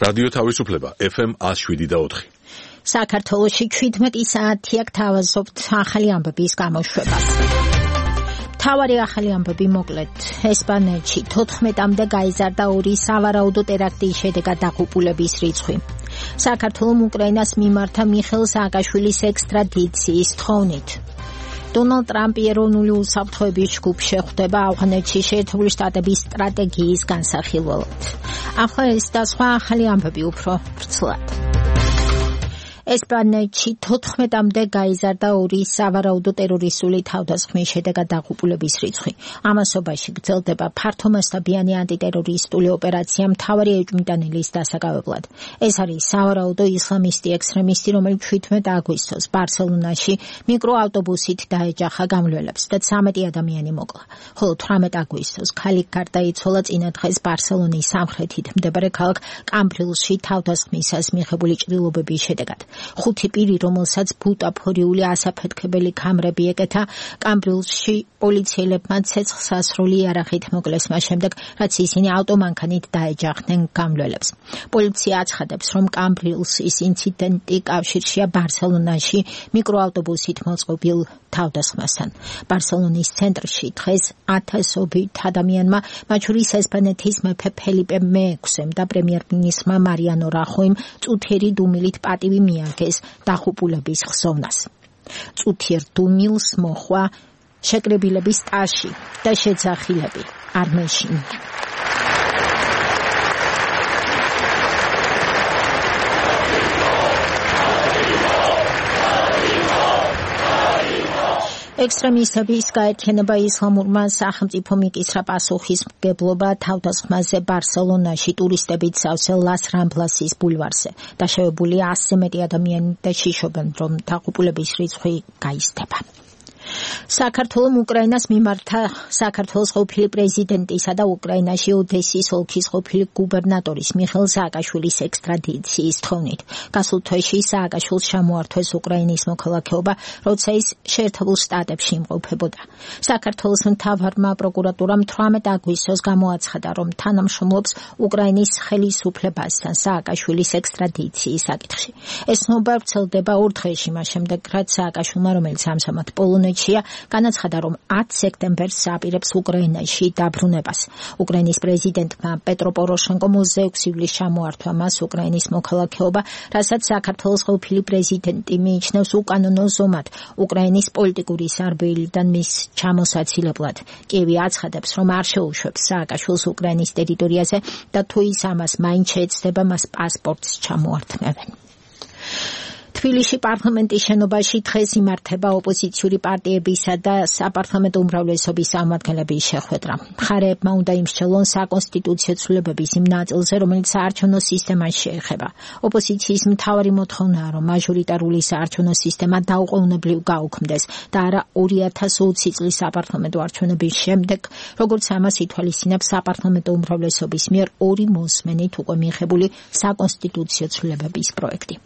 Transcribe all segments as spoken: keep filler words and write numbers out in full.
რადიო თავისუფლება ეფ ემ one oh seven point four. საქართველოში ჩვიდმეტი საათია გთავაზობთ ახალი ამბების გამოშვებას. მთავარი ახალი ამბები მოკლედ. ესპანეთში თოთხმეტამდე გაიზარდა ორი სავარაუდო ტერაქტის შედეგად დაღუპულების რიცხვი. საქართველოს უკრაინას მიმართა მიხეილ სააკაშვილის ექსტრადიციის თხოვნით. დონალდ ტრამპი ეროვნული უსაფრთხოების ჯგუფს შეხვდება ავღანეთში შეერთებული შტატების სტრატეგიის განსახილველად. ახლა ეს და სხვა ახალი ამბები უფრო ვრცლად. ესპანეთში თოთხმეტამდე გაიზარდა ორი სავარაუდო ტერორისტული თავდასხმის შედეგად დაღუპულების რიცხვი. ამასობაში გრძელდება ფართომასშტაბიანი ანტიტერორისტული ოპერაცია მთავარი ეჭვმიტანილის დასაკავებლად. ეს არის სავარაუდო ისლამისტი ექსტრემისტი, რომელიც თერთმეტ აგვისტოს ბარსელონაში მიკროავტობუსით დაეჯახა გამლველებს და ცამეტი ადამიანი მოკლა. ხოლო თვრამეტ აგვისტოს ქალი გარდაიცვალა წინა დღეს ბარსელონის სამხრეთით მდებარე ქალაქ კამბრილში თავდასხმისას მიღებული ჭრილობების შედეგად. ხუთი პირი, რომელსაც ბუტაფორიული ასაფეთქებელი ქამრები ეკეთა, კამბრილში პოლიციელებმა ცეცხლსასროლი იარაღით მოკლეს მას შემდეგ, რაც ისინი ავტომანქანით დაეჯახდნენ გამლველებს. პოლიცია აცხადებს, რომ კამბრილსის ინციდენტი კავშირშია ბარსელონაში მიკროავტობუსით მოწყობილ თავდასხმასთან. ბარსელონის ცენტრში დღეს ათასობით ადამიანმა, მათ შორის ესპანეთის მეფე ფელიპე მეექვსემ და პრემიერ-მინისტრმა მარიანო რახოიმ წუთიერი დუმილით პატივი მიაგეს დაღუპულების ხსოვნას. წუთიერ დუმილს მოხვა შეკრებილების ტაში და შეძახილები არ მეშინ. ექსტრემისტების გაერთიანება ისლამურმა სახელმწიფო მიკისრა პასუხისმგებლობა თავდასხმაზე ბარსელონაში ტურისტებით სავსე ლას რამბლასის ბულვარზე. დაშავებული ასზე მეტი ადამიანი და შიშობენ, რომ დაღუპულების რიცხვი გაიზრდება. საქართველოს უკრაინას მიმართა საქართველოს ყოფილი პრეზიდენტისა და უკრაინაში ოდესის ოლქის ყოფილი გუბერნატორის მიხეილ სააკაშვილის ექსტრადიციის თხოვნით. გასულ თვეში სააკაშვილს ჩამოართვეს უკრაინის მოქალაქეობა, როცა ის შეერთებულ შტატებში იმყოფებოდა. საქართველოს მთავარმა პროკურატურამ თვრამეტ აგვისტოს გამოაცხადა, რომ თანამშრომლობს უკრაინის ხელისუფლებასთან სააკაშვილის ექსტრადიციის საკითხში. ეს ნობა ვრცელდება ორ დღეში მას შემდეგ, რაც სააკაშვილმა, რომელიც ამჟამად პოლონეთში განაცხადა, რომ ათ სექტემბერს აპირებს უკრაინაში დაბრუნებას. უკრაინის პრეზიდენტმა პეტრო პოროშენკომ ოცდაექვსი ივლისს ჩამოართვა მას უკრაინის მოქალაქეობა, რასაც საქართველოს ყოფილი პრეზიდენტი მიიჩნევს უკანონო ზომად უკრაინის პოლიტიკური სარბიელიდან მის ჩამოსაცილებლად. კიევი აცხადებს, რომ არ შეუშვებს სააკაშვილს უკრაინის ტერიტორიაზე და თუ ის ამას მაინც შეეცდება, მას პასპორტს ჩამოართმევენ. თბილისში პარლამენტის შენობაში დღეს იმართება ოპოზიციური პარტიებისა და საპარლამენტო უმრავლესობის წარმომადგენლების შეხვედრა. მხარეებმა უნდა იმსჯელონ საკონსტიტუციო ცვლილებების იმ ნაწილზე, რომელიც საარჩევნო სისტემას შეეხება. ოპოზიციის მთავარი მოთხოვნაა, რომ მაჟორიტარული საარჩევნო სისტემა დაუყოვნებლივ გაუქმდეს და არა ორი ათას ოცი წლის საპარლამენტო არჩევნების შემდეგ, როგორც ამას ითვალისწინებს საპარლამენტო უმრავლესობის მიერ ორი მოსმენით უკვე მიღებული საკონსტიტუციო ცვლილებების პროექტი.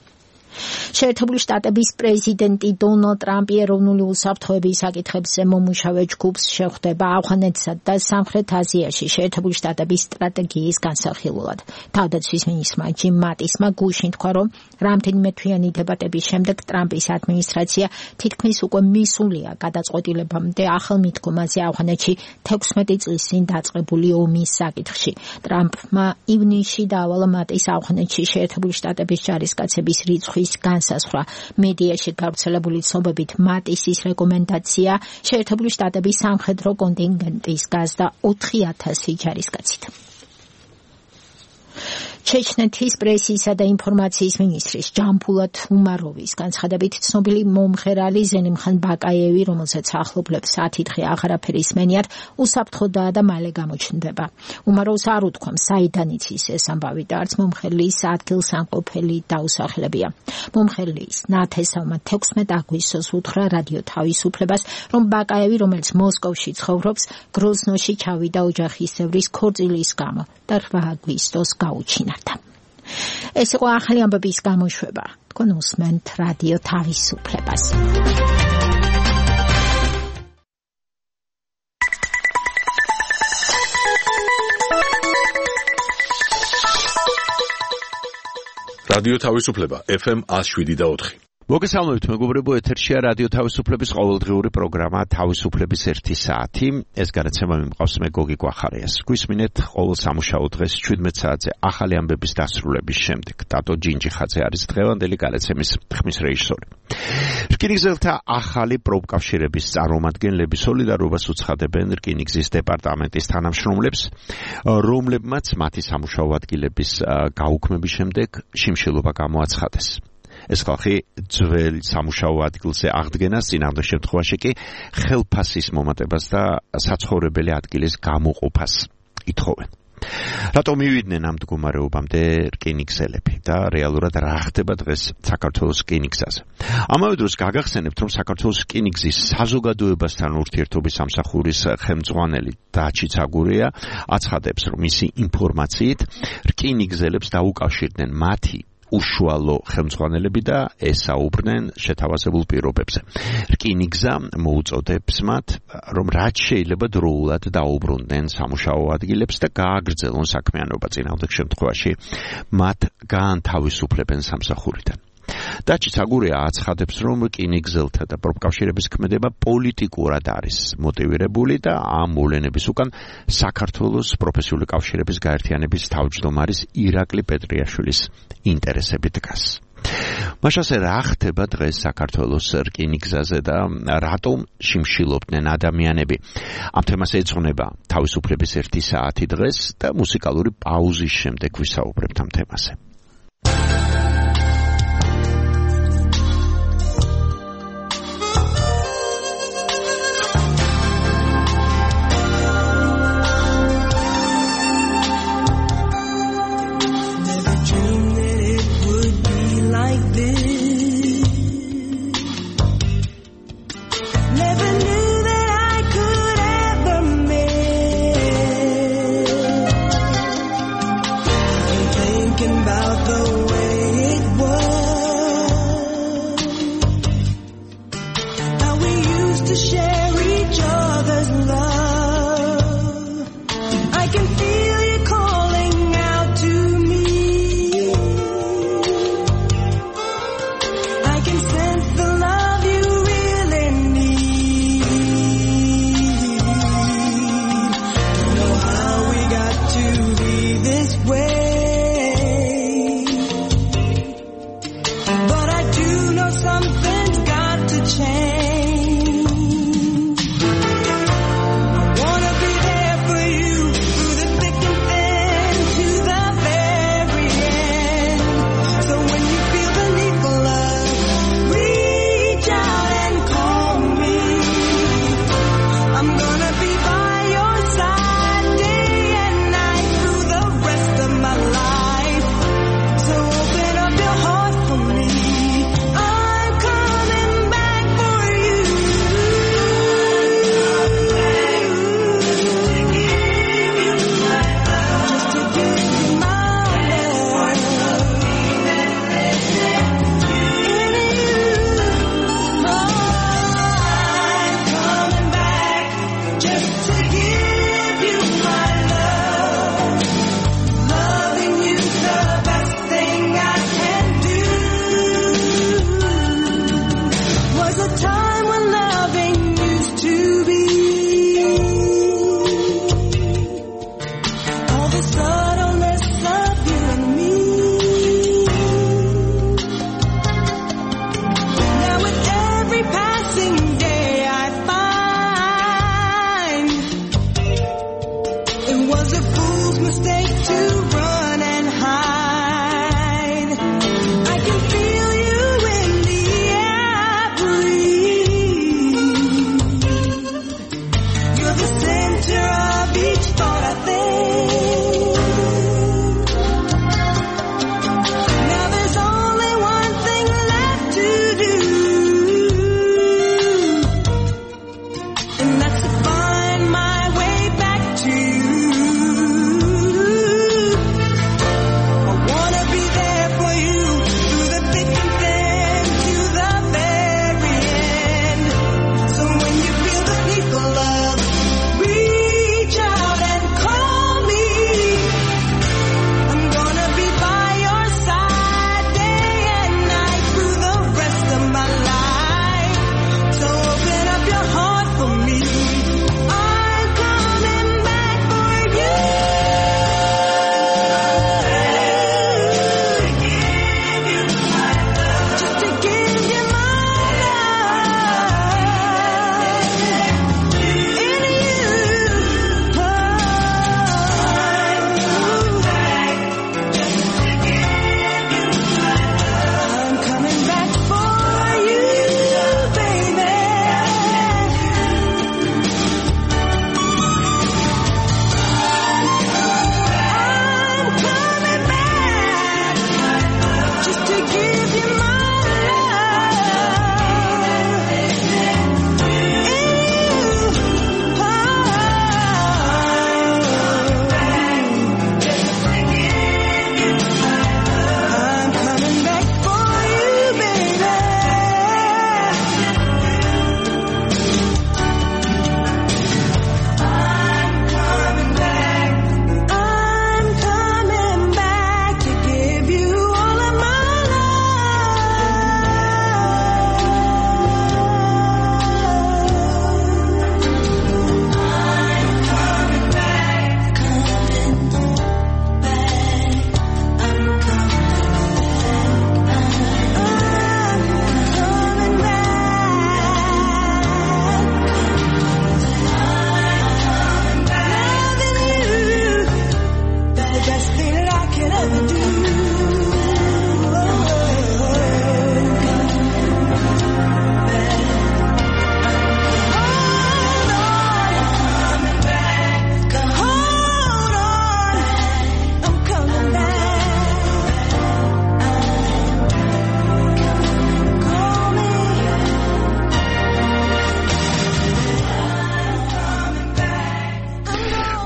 შეერთებული შტატების პრეზიდენტი დონალდ ტრამპი ეროვნული უსაფრთხოების საკითხებზე მომუშავე ჯგუფს შეხვდება ავღანეთსა და სამხრეთ აზიაში შეერთებული შტატების სტრატეგიის განსახილველად. თავდაცვის მინისტრმა ჯიმ მატისმა გუშინ თქვა, რომ რამდენიმე თვიანი დებატების შემდეგ ტრამპის ადმინისტრაცია თითქმის უკვე მისულია გადაწყვეტილებამდე ახალ მიდგომაზე ავღანეთში თექვსმეტი წლის წინ დაწყებული ომის საკითხში. ტრამპმა ივნისში დაავალა მატის ავღანეთში შეერთებული შტატების ჯარისკაცების რიცხვი განსაზღვრა. მედიაში გავრცელებული ცნობებით მატისის რეკომენდაცია შეერთებული შტატების სამხედრო კონტინგენტის გაზდა ოთხი ათასი ჯარისკაცით. ჩეჩნეთის პრესისა და ინფორმაციის მინისტრის ჯამბულათ უმაროვის განცხადებით ცნობილი მომღერალი ზენიმხან ბაკაევი, რომელსაც ახლობლებს ათი დღე აღარაფერი ისმენიათ, უსაფრთხოდაა და მალე გამოჩნდება. უმაროვს არ უთქვა, საიდან იცის ეს ამბავი და არც მომღერლის ადგილსამყოფელი დაუსახელებია. მომღერლის ნათესავმა თექვსმეტ აგვისტოს უთხრა რადიო თავისუფლებას, რომ ბაკაევი, რომელიც მოსკოვში ცხოვრობს, გროზნოში ჩავიდა ოჯახის წევრის ქორწილის გამო და რვა აგვისტოს გაუჩინა. ეს იყო ახალი ამბების გამოშვება. თქვენ უსმენთ რადიო თავისუფლებას. რადიო თავისუფლება ეფ ემ one oh seven point four. მოგესალმებით მეგობრებო, ეთერშია რადიო თავისუფლების ყოველდღიური პროგრამა თავისუფლების ერთი საათი. ეს განაცემა მიმყავს მე გოგი გვახარიას. გვისმინეთ ყოველ სამუშაო დღეს შვიდმეტ საათზე ახალი ამბების დასრულების შემდეგ. ტატო ჯინჯიხაძე არის დღევანდელი განაცემის ხმის რეჟისორი. რკინიგზელთა ახალი პროფკავშირების წარმომადგენლები სოლიდარობას უცხადებენ რკინიგზის დეპარტამენტის თანამშრომლებს, რომლებმაც მათი სამუშაო ადგილების გაუქმების შემდეგ შიმშილობა გამოაცხადეს. ეს ხალხი ძველ სამუშაო ადგილზე აღდგენას, წინააღმდეგ შემთხვევაში კი ხელფასის მომატებას და საცხოვრებელი ადგილის გამოყოფას ითხოვენ. რატომ მივიდნენ ამ მდგომარეობამდე რკინიგზელები და რეალურად რა ხდება დღეს საქართველოს რკინიგზაზე? ამავე დროს გაგახსენებთ, რომ საქართველოს რკინიგზის საზოგადოებასთან ურთიერთობის სამსახურის ხელმძღვანელი დაჩი ცაგურია აცხადებს, რომ მისი ინფორმაციით რკინიგზელებს დაუკავშირდნენ მათი უშუალო ხელმძღვანელები და ესაუბრნენ შეთავაზებულ პირობებზე. რკინიგზა მოუწოდებს მათ, რომ რაც შეიძლება დროულად დაუბრუნდნენ სამუშაო ადგილებს და გააგრძელონ საქმიანობა, წინააღმდეგ შემთხვევაში მათ გაანთავისუფლებენ სამსახურიდან. დაჩი ცაგურია აცხადებს, რომ რკინიგზელთა და პროფკავშირების ქმედება პოლიტიკურად არის მოტივირებული და ამ მოვლენების უკან საქართველოს პროფესიული კავშირების გაერთიანების თავმჯდომარის ირაკლი პეტრიაშვილის ინტერესები დგას. მაშასე რა ხდება დღეს საქართველოს რკინიგზაზე და რატომ შიმშილობდნენ ადამიანები? ამ თემას ეძღვნება თავისუფლების ერთი საათი დღეს და მუსიკალური პაუზის შემდეგ ვისაუბრებთ ამ თემაზე. About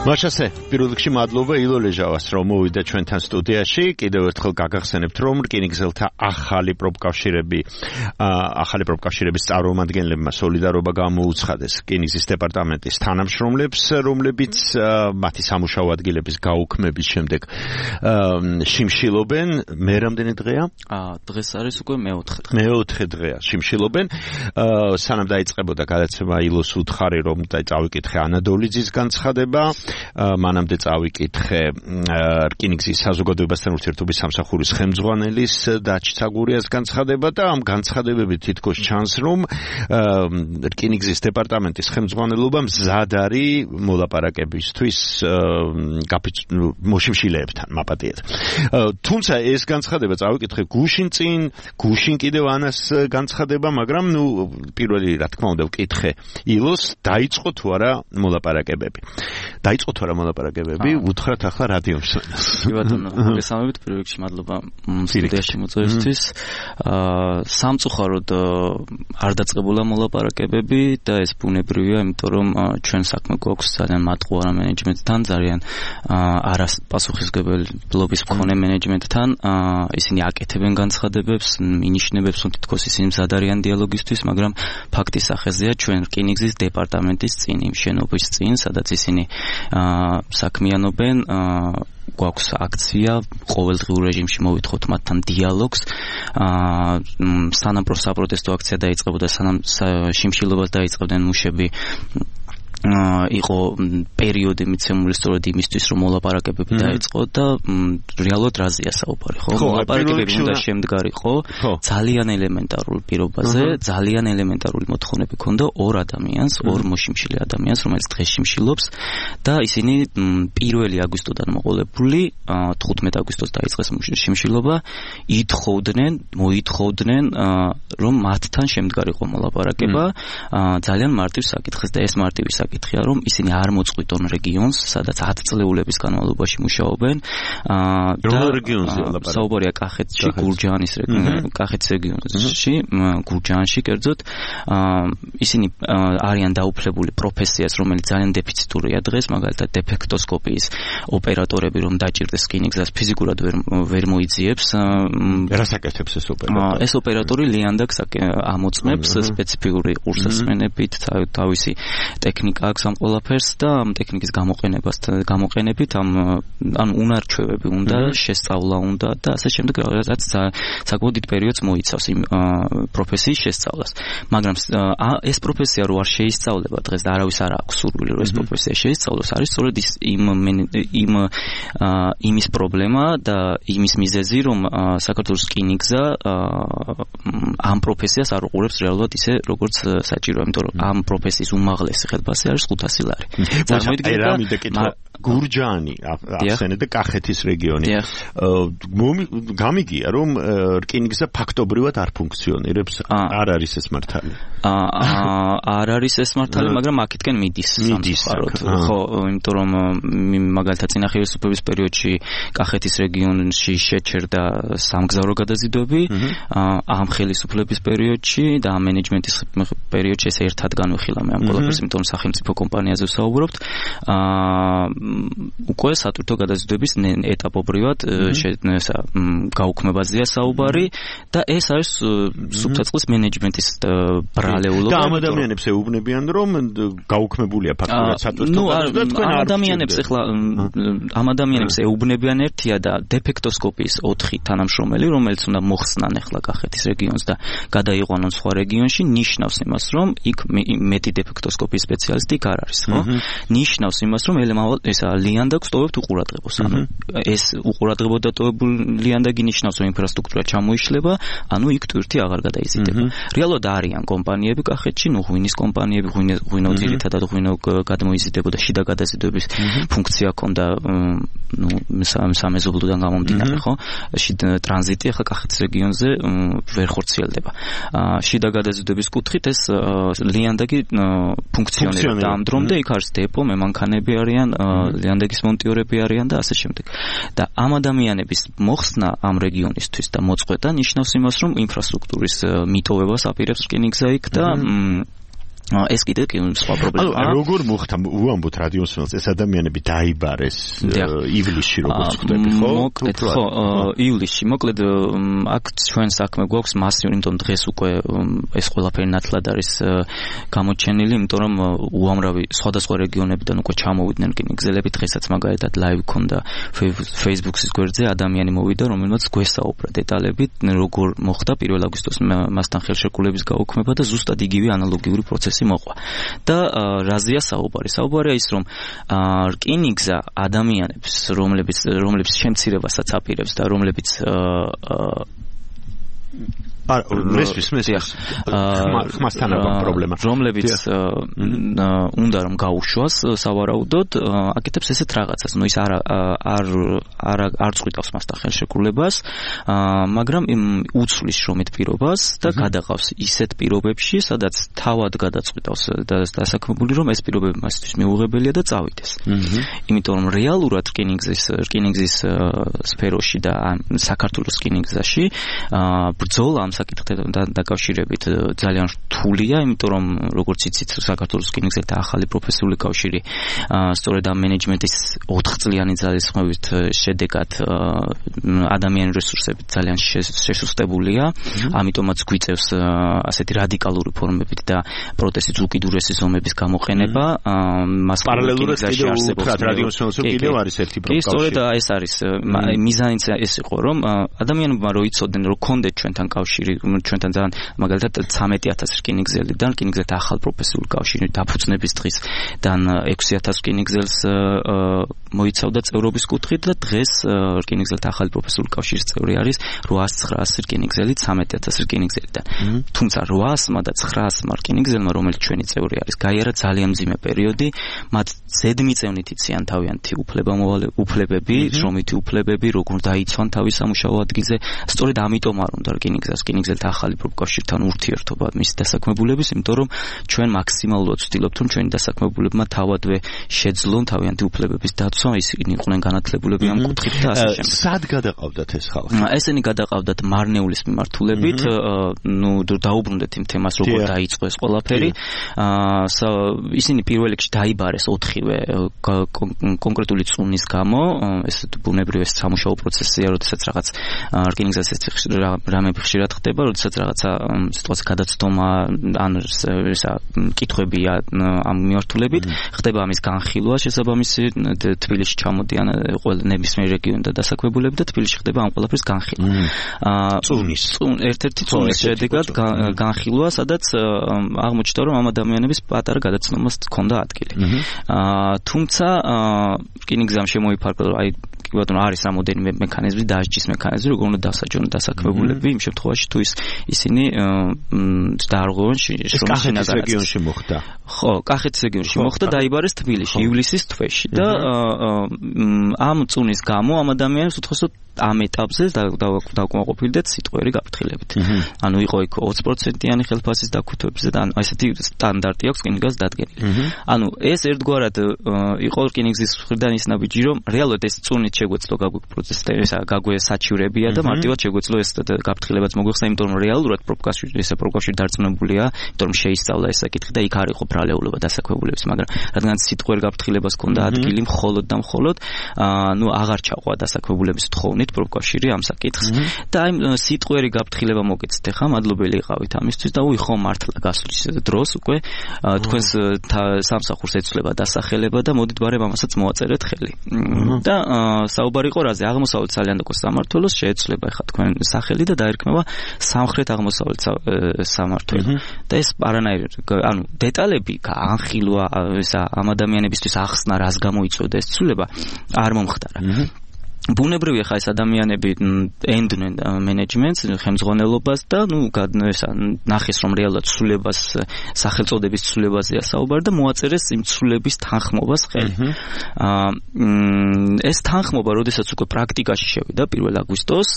მაშასე, პირველ რიგში მადლობა ილო ლეჟავას, რომ მოვიდა ჩვენთან სტუდიაში. კიდევ ერთხელ გაგახსენებთ, რომ რკინიგზელთა ახალი პროფკავშირები, ახალი პროფკავშირების წარმომადგენლებმა სოლიდარობა გამოუცხადეს რკინიგზის დეპარტამენტის თანამშრომლებს, რომლებიც მათი სამუშაო ადგილების გაუქმების შემდეგ შიმშილობენ. მე რამდენი დღეა? დღეს არის უკვე მეოთხე დღე. მეოთხე დღეა შიმშილობენ. სანამ დაიწყებოდა გადაცემა ილოს უთხარი, რომ წავიკითხე ანადოლიძის განცხადება. მანამდე წავიკითხე რკინიგზის საზოგადოებასთან ურთიერთობის სამსახურის ხელმძღვანელის დაჩცაგურიას განცხადება და ამ განცხადებებით თითქოს ჩანს, რომ რკინიგზის დეპარტამენტის ხელმძღვანელობა მზად არის მოლაპარაკებისთვის მოშიმშილეებთან მაპატიეთ. თუმცა ეს განცხადება წავიკითხე გუშინ წინ, გუშინ კიდევ ანას განცხადება, მაგრამ ნუ პირველი რა თქმა უნდა ვკითხე ილოს, დაიწყო თუ არა მოლაპარაკებები. დაიწყო თუ არა მოლაპარაკებები, უთხრათ ახლა რადიო მსმენელს. კი ბატონო, მოგესალმებით, პირველ რიგში მადლობა სტუდიაში მოწვევისთვის. სამწუხაროდ არ დაწყებულა მოლაპარაკებები და ეს ბუნებრივია, იმიტომ რომ ჩვენ საქმე გვაქვს ძალიან მატყუარა მენეჯმენტთან, ძალიან არაპასუხისმგებლობის მქონე მენეჯმენტთან. ისინი აკეთებენ განცხადებებს, ინიშნებებს, რომ თითქოს ისინი მზად არიან დიალოგისთვის, მაგრამ ფაქტის სახეზეა ჩვენ რკინიგზის დეპარტამენტის წინ, იმ შენობის წინ, სადაც ისინი საქმიანობენ, გვაქვს აქცია, ყოველდღიურ რეჟიმში მოვითხოვთ მათთან დიალოგს. სანამ პროსაპროტესტო აქცია დაიწყებოდა, სანამ შიმშილობას დაიწყებდნენ მუშები, იყო პერიოდი მიცემული სწორედ იმისთვის, რომ მოლაპარაკებები დაიწყო და რეალურად რაზეა საუბარი, ხო? მოლაპარაკებები უნდა შემდგარიყო ძალიან ელემენტარულ პირობაზე, ძალიან ელემენტარული მოთხოვნები ქონდა ორ ადამიანს, ორ მოშიმშილე ადამიანს, რომელიც დღეს შიმშილობს და ისინი პირველი აგვისტოდან მოყოლებული, თხუთმეტი აგვისტოს დაიწყეს შიმშილობა, ითხოვდნენ, მოითხოვდნენ, რომ მათთან შემდგარიყო მოლაპარაკება ძალიან მარტივ საკითხს და ეს მარტივი საკითხი კითხია, რომ ისინი არ მოწყვიტონ რეგიონს, სადაც ათი წლეულების განმავლობაში მუშაობენ. რომელ რეგიონზე ლაპარაკობთ? საუბარია კახეთში, გურჯაანის რეგიონში, კახეთის რეგიონში, გურჯაანში კერძოდ. ისინი არიან დაუფლებული პროფესიას, რომელიც ძალიან დეფიციტურია დღეს, მაგალითად დეფექტოსკოპიის ოპერატორები, რომ დაჭირდეს რკინიგზას, ფიზიკურად ვერ ვერ მოიძიებს. რას აკეთებს ეს ოპერატორი? ეს ოპერატორი ლიანდაგს ამოწმებს სპეციფიკური ყურსასმენებით, თავისი ტექნიკა აქვს ამ ყველაფერს და ამ ტექნიკის გამოყენებას გამოყენებით ამ ან უნარჩვევები უნდა, შესწავლა უნდა და ასე შემდეგ, რაღაც საკმაოდ დიდ პერიოდს მოიცავს იმ პროფესიის შესწავლას. მაგრამ ეს პროფესია რო არ შეისწავლება დღეს და არავის არ აქვს სურვილი რომ ეს პროფესია შეისწავლოს, არის სწორედ იმ იმ იმის პრობლემა და იმის მიზეზი, რომ საქართველოს რკინიგზა ამ პროფესიას არ უყურებს რეალურად ისე როგორც საჭიროა, იმიტომ რომ ამ პროფესიის უმაღლესი ხელფასი არის ხუთასი ლარი. წარმოიდგინეთ გურჯაანი ახსენეთ და კახეთის რეგიონი. გამიგია რომ რკინიგზა ფაქტობრივად არ ფუნქციონირებს, არ არის ეს მართალი. არ არის ეს მართალი, მაგრამ აქეთკენ მიდის სამწუხაროდ. ხო, იმიტომ რომ მაგალითად წინა ხელისუფლების პერიოდში კახეთის რეგიონში შეჩერდა სამგზავრო გადაზიდვები, ამ ხელისუფლების პერიოდში და ამ მენეჯმენტის პერიოდში ეს ერთად განვიხილა მე ამ ყველაფერს, იმიტომ რომ სახელმწიფო კომპანიაზე ვსაუბრობთ. უკვე სატვირთო გადაზიდვების ეტაპობრივად ესა გაუქმებაზეა საუბარი და ეს არის სუბსაწყლის მენეჯმენტის ბრალეულობა. და ამ ადამიანებს ეუბნებიან, რომ გაუქმებულია ფაქტურად სატვირთო გადაზიდვა, თქვენ არ ადამიანებს ახლა ამ ადამიანებს ეუბნებიან ერთია და დეფექტოსკოპიის ოთხი თანამშრომელი, რომელიც უნდა მოხსნან ახლა კახეთის რეგიონს და გადაიყვანონ სხვა რეგიონში, ნიშნავს იმას, რომ იქ მეტი დეფექტოსკოპიის სპეციალისტი იქ არ არის, ხო? ნიშნავს იმას, რომ ესა ლიანდაგს ტოვებთ უყურადღებას. ანუ ეს უყურადღებო დატოვებული ლიანდაგი ნიშნავს, რომ ინფრასტრუქტურა ჩამოიშლება, ანუ იქ ტვირთი აღარ გადაიზიდება. რეალურად არიან კომპანიები კახეთში, ნუ ღვინის კომპანიები, ღვინო ძირითადად ღვინო გადმოიზიდებოდა, შიდა გადაზიდვების ფუნქცია ჰქონდა, ნუ სამეზობლოდან გამომდინარე, ხო? შიდა ტრანზიტი ახლა კახეთის რეგიონზე ვერ ხორციელდება. შიდა გადაზიდვების კუთხით ეს ლიანდაგი ფუნქციონირებდა ამ დრომდე, იქ არის დეპო, მემანქანები არიან, ლიანდაგის მონტიორები არიან და ასე შემდეგ. და ამ ადამიანების მოხსნა ამ რეგიონისთვის და მოწყვეტა ნიშნავს იმას, რომ ინფრასტრუქტურის მიტოვებას აპირებს რკინიგზა იქ და ეს კიდე კი სხვა პრობლემაა. ანუ როგორ მოხდა უამბობთ რადიოსმელს ეს ადამიანები დაიბარეს ივლისში როგორც ხვდები ხო? მოკლედ ხო ივლისში მოკლედ აქ ჩვენ საქმე გვაქვს მასიური, იმიტომ დღეს უკვე ეს ყველაფერი ნათლად არის გამოჩენილი, იმიტომ რომ უამრავი სხვადასხვა რეგიონებიდან უკვე ჩამოვიდნენ რკინიგზელები, დღესაც მაგალითად ლაივ ქონდა Facebook-ის გვერდზე, ადამიანი მოვიდა, რომელმაც გვესაუბრა დეტალებით, როგორ მოხდა პირველ აგვისტოს მასთან ხელშეკრულების გაუქმება და ზუსტად იგივე ანალოგიური პროცესი მოყვა. და რაზეა საუბარი? საუბარია ის, რომ რკინიგზა ადამიანებს, რომლებიც რომლებიც შემცირებასაც აპირებს და რომლებიც არა, მესმის, მესმის. ხმასთან აქვს პრობლემა. რომლებიც უნდა რომ გაუშვას სავარაუდოდ, აკეთებს ესეთ რაღაცას. ნუ ის არ არ არ არ წვითავს მასთან ხელშეკრულებას, მაგრამ უცვლის შრომით პირობას და გადაყავს ისეთ პირობებში, სადაც თავად გადაწყვიტავს დასაქმებული, რომ ეს პირობები მასთვის მიუღებელია და წავიდეს. იმიტომ რომ რეალურად რკინიგზის რკინიგზის სფეროში და საქართველოს რკინიგზაში ბრძოლა ამ საკითხთან დაკავშირებით ძალიან რთულია, იმიტომ რომ როგორც იცით, საქართველოს რკინიგზელთა ახალი პროფესიული კავშირი სწორედ ამ მენეჯმენტის ოთხ წლიანი ძალისხმევით შედეგად ადამიანური რესურსებით ძალიან შესუსტებულია, ამიტომაც გვიწევს ასეთი რადიკალური ფორმებით და პროტესტის უკიდურესი ზომების გამოყენება. მას პარალელურად კიდევ უთხრათ რადიოსმელს კიდევ არის ერთი პრობლემა. კი, სწორედ ეს არის მიზანიც ეს იყო, რომ ადამიანებმა რო იცოდნენ, რომ კონდეთ ჩვენთან კავშირი, ჩვენთან ძალიან მაგალითად ცამეტი ათასი რკინიგზელიდან რკინიგზელთა ახალ პროფესიული კავშირი დაფუძნების დღისდან ექვსი ათასი რკინიგზელს მოიცავდა წევრობის კუთხით და დღეს რკინიგზელთა ახალი პროფესიული კავშირის წევრი არის რვაას ცხრაასი რკინიგზელი ცამეტი ათასი რკინიგზელიდან. თუმცა რვაასმა და ცხრაასმა რკინიგზელმა, რომელიც ჩვენი წევრი არის, გაიარა ძალიან მძიმე პერიოდი, მათ ზედმიწევნით იციან თავიანთი უფლებები, შრომითი უფლებები, როგორ დაიცვან თავის სამუშაო ადგილზე. სწორედ ამიტომ არ უნდა რკინიგზას რკინიგზელთა ახალი პროფკავშირთან ურთიერთობა მის დასაქმებულების, იმიტომ რომ ჩვენ მაქსიმალურად ვცდილობთ, რომ ჩვენი დასაქმებულებმა თავადვე შეძლონ თავიანთი უფლებების დაცვა, ისინი იყვნენ განათლებულები ამ კუთხით და ასე შემდეგ. სად გადაყავდათ ეს ხალხი? ესენი გადაყავდათ მარნეულის მიმართულებით, ნუ დაუბრუნდეთ იმ თემას, როგორ დაიწყო ეს ყველაფერი. ისინი პირველ რიგში დაიბარეს ოთხივე კონკრეტული წუნის გამო, ეს ბუნებრივი სამუშაო პროცესია, როდესაც რაღაც რკინიგზას რამები ხშირად ხდება, როდესაც რაღაცა სიტუაცია გადაცდომა ან ესა კითხვებია ამ მიმართულებით, ხდება ამის განხილვა შესაბამისი თბილისში ჩამოდიან ყველა ნებისმიერ რეგიონიდან დასაქმებულები და თბილისში ხდება ამ ყველაფრის განხილვა. წუნის ერთ-ერთი წუნის შედეგად განხილვა, სადაც აღმოჩნდა, რომ ამ ადამიანების პატარა გადაცნომას ჰქონდა ადგილი. თუმცა რკინიგზამ შემოიფარგლა, აი ბატონო არის რამოდენიმე მექანიზმი, დაჯდის მექანიზმი, როგორ უნდა დასაჯონ დასაქმებულები იმ შემთხვევაში, თუ ის ისინი დაარღვევენ შრომის კახეთის რეგიონში მოხდა. ხო, კახეთის რეგიონში მოხდა, დაიბარეს თბილისში ივლისის თვეში და ამ წუნის გამო ამ ადამიანებს უთხოსოდ ამ ეტაპზე დავკმაყოფილდეთ სიტყვიერი გაფრთხილებით. ანუ იყო იქ ოცი პროცენტიანი ხელფასის დაქუთვებზე და ესეთი სტანდარტი აქვს რკინიგზას დადგენილი. ანუ ეს ერთგვარად იყო რკინიგზის მხრიდან ის ნაბიჯი, რომ რეალურად ეს წუნით შეგვეძლო პროცესისა გაგვე საჩივრებია და მარტივად შეგვეძლო ეს გაფრთხილებაც მოგვიხსნა, იმიტომ რომ რეალურად პროფკავშირი ესე პროფკავშირი დარწმუნებულია, იმიტომ რომ შეისწავლა ეს საკითხი და იქ არ იყო ბრალეულობა დასაქმებულების, მაგრამ რადგან სიტყვიერ გაფრთხილებას ჰქონდა ადგილი მხოლოდ და მხოლოდ ნუ აღარ ჩაყვა დასაქმებულების თხოვნით პროფკავშირი ამ საკითხს და აი სიტყვიერი გაფრთხილება მოგეცეთ ახლა, მადლობელი იყავით ამისთვის და უი ხო მართლა გასulis დროს უკვე თქვენს სამსახურს ეცვლება დასახელება და მოდით ბარემ ამასაც მოაწერეთ ხელი. და საუბარი იყო რაზე? აღმოსავლეთ სალიანდაკოს სამმართველოს შეეცვლება ახლა თქვენ სახელი და დაერქმევა სამხრეთ აღმოსავლეთ სამმართველო. და ეს არანაირ ანუ დეტალები განხილვა ესა ამ ადამიანებისთვის ახსნა, რას გამოიწვევდა ეს ცვლილება არ მომხდარა. ბუნებრივია ხა ეს ადამიანები ენდნენ მენეჯმენტს, ხელმძღვანელობას და ნუ ესა ნახეს რომ რეალურად ცვლილებას სახელწოდების ცვლილებაზეა საუბარი და მოაწერეს იმ ცვლილების თანხმობას ხელი. ეს თანხმობა, როდესაც უკვე პრაქტიკაში შევიდა პირველ აგვისტოს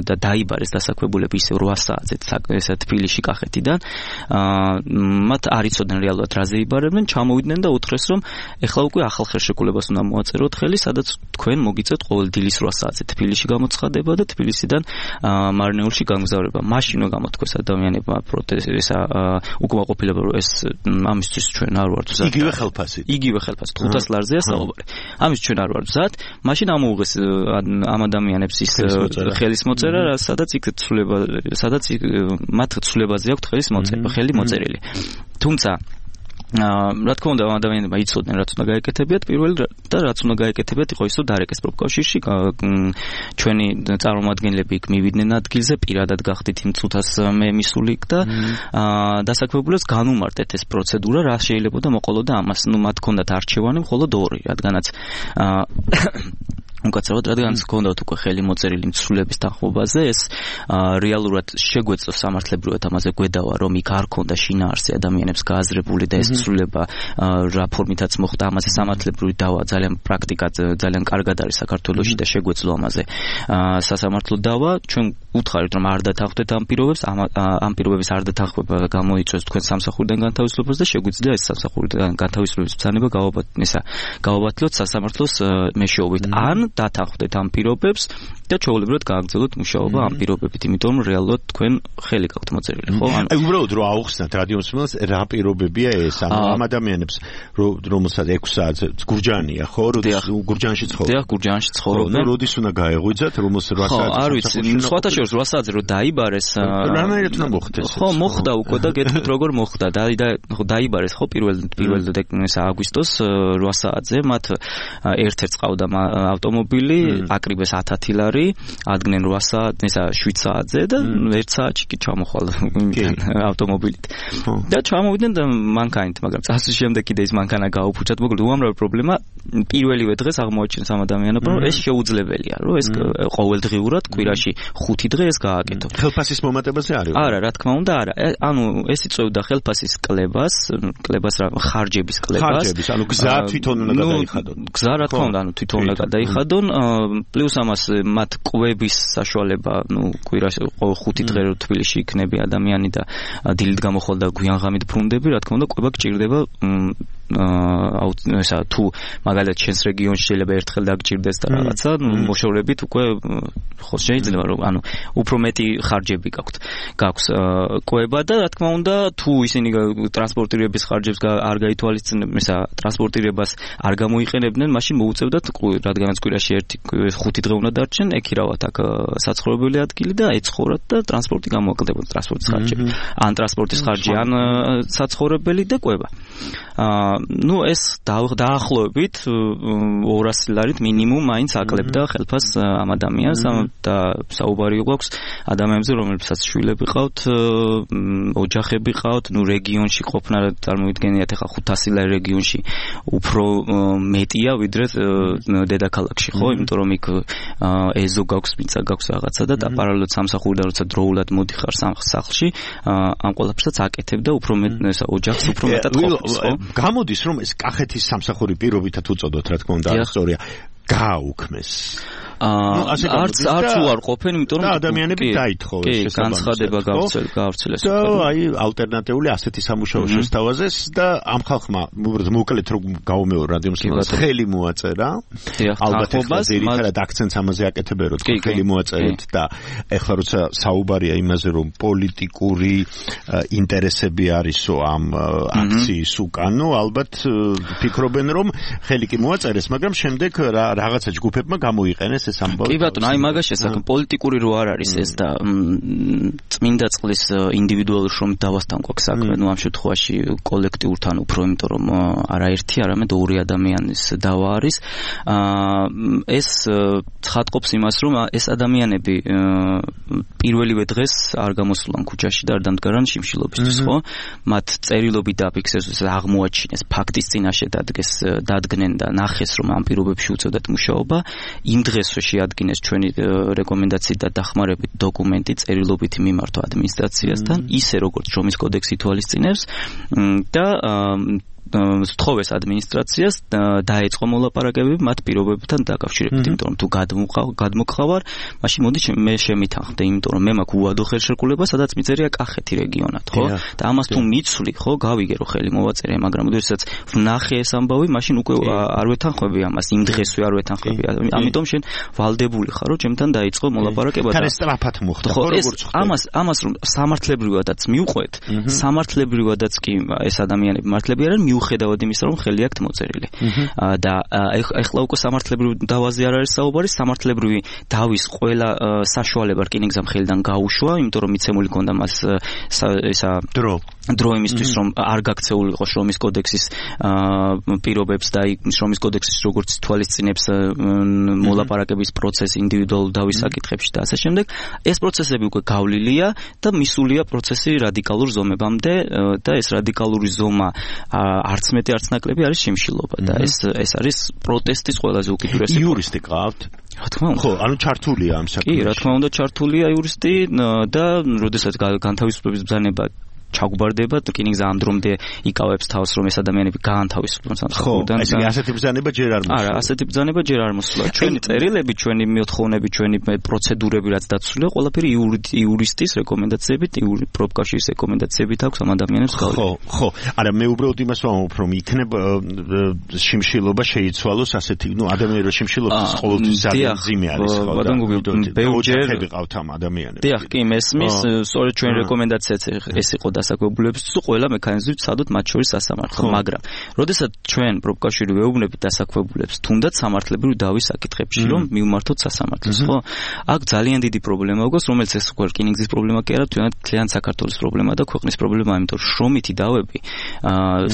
და დაიბარეს დასაქმებულები ისევ რვა საათზე ესა თბილისში კახეთიდან, მათ არ იცოდნენ რეალურად რაზე იბარებდნენ, ჩამოვიდნენ და უთხრეს რომ ეხლა უკვე ახალ ხელშეკრულებას უნდა მოაწეროთ ხელი, სადაც თქვენ მოგიწევთ ყოველ დილის რვა საათზე თბილისში გამოცხადება და თბილისიდან მარნეულში გამგზავრება. მაშინ რომ გამოთქვეს ადამიანებმა პროტესტისა უკმაყოფილება რომ ეს ამისთვის ჩვენ არ ვართ მზად. იგივე ხელფასი. იგივე ხელფასი ხუთას ლარზეა საუბარი. ამის ჩვენ არ ვართ მზად. მაშინ ამოუღეს ამ ადამიანებს ის ხელის მოწერა, სადაც იქ ცვლილება, სადაც მათ ცვლილებაზე აქვთ ხელის მოწერა, ხელი მოწერილი. თუმცა რა თქმა უნდა ადამიანებმა იცოდნენ რაც უნდა გაეკეთებიათ პირველი და რაც უნდა გაეკეთებიათ იყო ის რომ დარეკეს პროფკავშირში ჩვენი წარმომადგენლები იქ მივიდნენ ადგილზე პირადად გახდით იმ წუთას მე მისული და დასაქმებულებს განუმარტეთ ეს პროცედურა რა შეიძლება და მოყოლოდა ამას ნუ მათ ჰქონდათ არჩევანი მხოლოდ ორი რადგანაც უკაცრავად რადგანაც ჰქონდათ უკვე ხელი მოწერილი მცვლელების თანხმობაზე ეს რეალურად შეგვეწო სამართლებრივად ამაზე გვედავა რომ იქ არ ქონდა შინაარსი ადამიანებს გააზრებული და ეს ცვლილება რა ფორმითაც მოხდა ამაზე სამართლებრივი დავა ძალიან პრაქტიკად ძალიან კარგად არის საქართველოში და შეგვეძლო ამაზე სასამართლო დავა ჩვენ უთხარით რომ არ დათანხმდეთ ამ პირობებს ამ პირობების არ დათანხმება გამოიწვევს თქვენ სამსახურიდან განთავისუფლებას და შეგვიძლია ეს სამსახურიდან განთავისუფლების ბრძანება გავაბათლოთ სასამართლოს მეშვეობით ან დათანხმდეთ ამ პირობებს და ჩვეულებრივად გააგრძელოთ მუშაობა ამ პირობებით, იმიტომ რომ რეალურად თქვენ ხელი გაქვთ მოწერილი, ხო? აი უბრალოდ რომ აუხსნათ რადიომსმენელს რა პირობებია ეს, ამ ადამიანებს რომელსაც ექვსი საათზე გურჯაანია, ხო? გურჯაანში ცხოვრობენ. დიახ, გურჯაანში ცხოვრობენ. როდის უნდა გაეღვიძათ, რომელსაც რვა საათზე? ხო, არ ვიცი, სხვათა შორის რვა საათზე რომ დაიბარეს, რანაირად უნდა მოხდეს? ხო, მოხდა უკვე და გეტყვით როგორ მოხდა. დაიბარეს ხო პირველ პირველ აგვისტოს რვა საათზე, მათ ერთ-ერთს ყავდა ავტომობილი, აკრიბეს ათათი ლარი ადგნენ რვა საათზე, ესა შვიდ საათზე და ერთ საათში კი ჩამოხვალ ავტომობილით. და ჩამოვიდნენ და მანქანით, მაგრამ წასვლის შემდეგ კიდე ის მანქანა გაუფუჭათ, მოკლედ უამრავი პრობლემა პირველივე დღეს აღმოაჩინეს ამ ადამიანებმა, რომ ეს შეუძლებელია, რომ ეს ყოველდღიურად კვირაში ხუთი დღე ეს გააკეთო. ხელფასის მომატებაზე არის? არა, რა თქმა უნდა, არა. ანუ ეს იწვევდა ხელფასის კლებას, კლებას რა ხარჯების კლებას. ხარჯების, ანუ გზა თვითონ უნდა გადაიხადონ. გზა რა თქმა უნდა, ანუ თვითონ უნდა გადაიხადონ, პლუს ამას მათ კვების საშუალება, ну, კვირაში ხუთი დღე რო თბილისში იქნები ადამიანი და დილით გამოხვალ და გვიანღამით ბრუნდები, რა თქმა უნდა, კვება გჭირდება აა ესა თუ მაგალითად ჩვენს რეგიონში შეიძლება ერთხელ დაგჭირდეს და რაღაცა, მოშორებით უკვე ხო შეიძლება რომ ანუ უფრო მეტი ხარჯები გაქვთ. გაქვს კვება და რა თქმა უნდა, თუ ისინი ტრანსპორტირების ხარჯებს არ გაითვალისწინებენ, ესა ტრანსპორტირებას არ გამოიყენებდნენ, მაშინ მოუწევდათ, რადგანაც კვირაში ერთი ხუთი დღე უნდა დარჩენ, ეკირავათ აქ საცხოვრებელი ადგილი და ეცხოვრათ და ტრანსპორტი გამოაკლდებოდა ტრანსპორტის ხარჯები. ან ტრანსპორტის ხარჯი, ან საცხოვრებელი და კვება. აა ну ეს დაახლოებით ორასი ლარით მინიმუმ მაინც აკლებდა ხელფას ამ ადამიანს და საუბარი გვაქვს ადამიანებზე, რომლებსაც შვილები ყავთ, ოჯახები ყავთ, ну რეგიონში ყოფნა წარმოვიდგენიათ ახლა ხუთასი ლარი რეგიონში უფრო მეტია ვიდრე დედაქალაქში, ხო? იმიტომ რომ იქ ეზო გაქვს, მიწა გაქვს რაღაცა და პარალელურად სამსახურიდან როცა დროულად მოდიხარ სახლში, ამ ყველაფერსაც აკეთებ და უფრო მეტ ესა ოჯახს უფრო მეტად ყოფს, ხო? გამოდის რომ ეს კახეთის სამსახური პირობითად უწოდოთ, რა თქმა უნდა, სწორია. გააუქმეს. აა არც არც უარ ყოფენ, იმიტომ რომ ადამიანები დაითხოვეს ეს განცხადება გავრცელეს. და აი ალტერნატიული ასეთი სამუშაო შესთავაზეს და ამ ხალხმა უბრალოდ მოკლედ რომ გავუმეორო რადიომსმენელს ხელი მოაწერა. ალბათ ერთად აქცენტს ამაზე აკეთებენ, რომ ხელი მოაწერეთ და ეხლა როცა საუბარია იმაზე, რომ პოლიტიკური ინტერესები არისო ამ აქციის უკანო, ალბათ ფიქრობენ, რომ ხელი კი მოაწერეს, მაგრამ შემდეგ რაღაცა ჯგუფებმა გამოიყენეს ეს ამბავი. კი ბატონო, აი მაგაში საკმ პოლიტიკური რო არ არის ეს და წმინდა წყლის ინდივიდუალურ შრომით დავასთან გვაქვს საქმე, ну ამ შემთხვევაში კოლექტიურთან უფრო, იმიტომ რომ არაერთი, არამედ ორი ადამიანის დავა არის. ეს ცხადყოფს იმას, რომ ეს ადამიანები პირველივე დღეს არ გამოსულან ქუჩაში და არ დამდგარან შიმშილობისთვის, ხო? მათ წერილობით დაფიქსირეს, აღმოაჩინეს, ფაქტის წინაშე დადგეს, დადგნენ და ნახეს, რომ ამ პირობებში უწევდათ მუშაობა. იმ დღეს შეადგინეს ჩვენი რეკომენდაციით და დახმარებით დოკუმენტი წერილობითი მიმართვა ადმინისტრაციასთან, ისე როგორც შრომის კოდექსი ითვალისწინებს და სთხოვეს ადმინისტრაციას დაეწყო მოლაპარაკებები მათ პირობებთან დაკავშირებით, იმიტომ რომ თუ გადმოყავარ, მაშინ მოდი მე შემითანხმდე, იმიტომ რომ მე მაქვს უადო ხელშეკრულება, სადაც მიწერია კახეთი რეგიონად, ხო? და ამას თუ მიცვლი, ხო, გავიგე რომ ხელი მოვაწერე, მაგრამ როდესაც ვნახე ეს ამბავი, მაშინ უკვე არ ვეთანხმები ამას, იმ დღესვე არ ვეთანხმები. ამიტომ შენ ვალდებული ხარ, რომ ჩემთან დაიწყო მოლაპარაკება და თან სწრაფად მოხდა, ხო, როგორც ხდება. ამას ამას რომ სამართლებრივადაც მივყვეთ, სამართლებრივადაც კი ეს ადამიანები მართლები არიან, მიუხედავად იმისა, რომ ხელი აქვთ მოწერილი. და ეხლა უკვე სამართლებრივი დავაზე არ არის საუბარი, სამართლებრივი დავის ყველა საშუალება რკინიგზამ ხელიდან გაუშვა, იმიტომ რომ მიცემული ქონდა მას ესა დრო დრო იმისთვის, რომ არ გაქცეულიყო შრომის კოდექსის პირობებს და შრომის კოდექსის როგორც თვალისწინებს მოლაპარაკების პროცესი ინდივიდუალურ დავის საკითხებში და ასე შემდეგ. ეს პროცესები უკვე გავლილია და მისულია პროცესი რადიკალურ ზომებამდე და ეს რადიკალური ზომა არც მეტი არც ნაკლები არის შიმშილობა და ეს ეს არის პროტესტის ყველაზე უკიდურესი. იურისტი ყავთ? რა თქმა უნდა. ხო, ანუ ჩართულია ამ საქმეში. კი, რა თქმა უნდა, ჩართულია იურისტი და როდესაც განთავისუფლების ბრძანება ჩაგვარდება, რკინიგზა ამ დრომდე იკავებს თავს, რომ ეს ადამიანები გაანთავისუფლონ სამსახურიდან. ხო, ესე ასეთი ბრძანება ჯერ არ მოსულა. არა, ასეთი ბრძანება ჯერ არ მოსულა. ჩვენი წერილები, ჩვენი მოთხოვნები, ჩვენი პროცედურები რაც დაცულია, ყველაფერი იურისტის რეკომენდაციებით, პროფკავშირის რეკომენდაციებით აქვს ამ ადამიანებს გავიგე. ხო, ხო. არა, მე უბრალოდ იმას ვამბობ, რომ იქნება შიმშილობა შეიცვალოს ასეთი, ნუ ადამიანის შიმშილობის ყოველთვის ძალიან ძიმე არის, ხო? ბატონო, ბევრჯერ ყავთ ამ ადამიანებს. დიახ, კი, მესმის, სწორედ ჩვენი რეკომენდაციაც ეს იყო დასაქმებულებისთვის ყველა მექანიზმით სადოთ მათ შორის სასამართლო, მაგრამ როდესაც ჩვენ პროფკავშირი ვეუბნებით დასაქმებულებს თუნდაც სამართლებრივი დავის საკითხებში, რომ მივმართოთ სასამართლოს, ხო? აქ ძალიან დიდი პრობლემა აქვს, რომელიც ეს უკვე რკინიგზის პრობლემა კი არა, თვითონ საქართველოს პრობლემა და ქვეყნის პრობლემა, იმიტომ რომ შრომითი დავები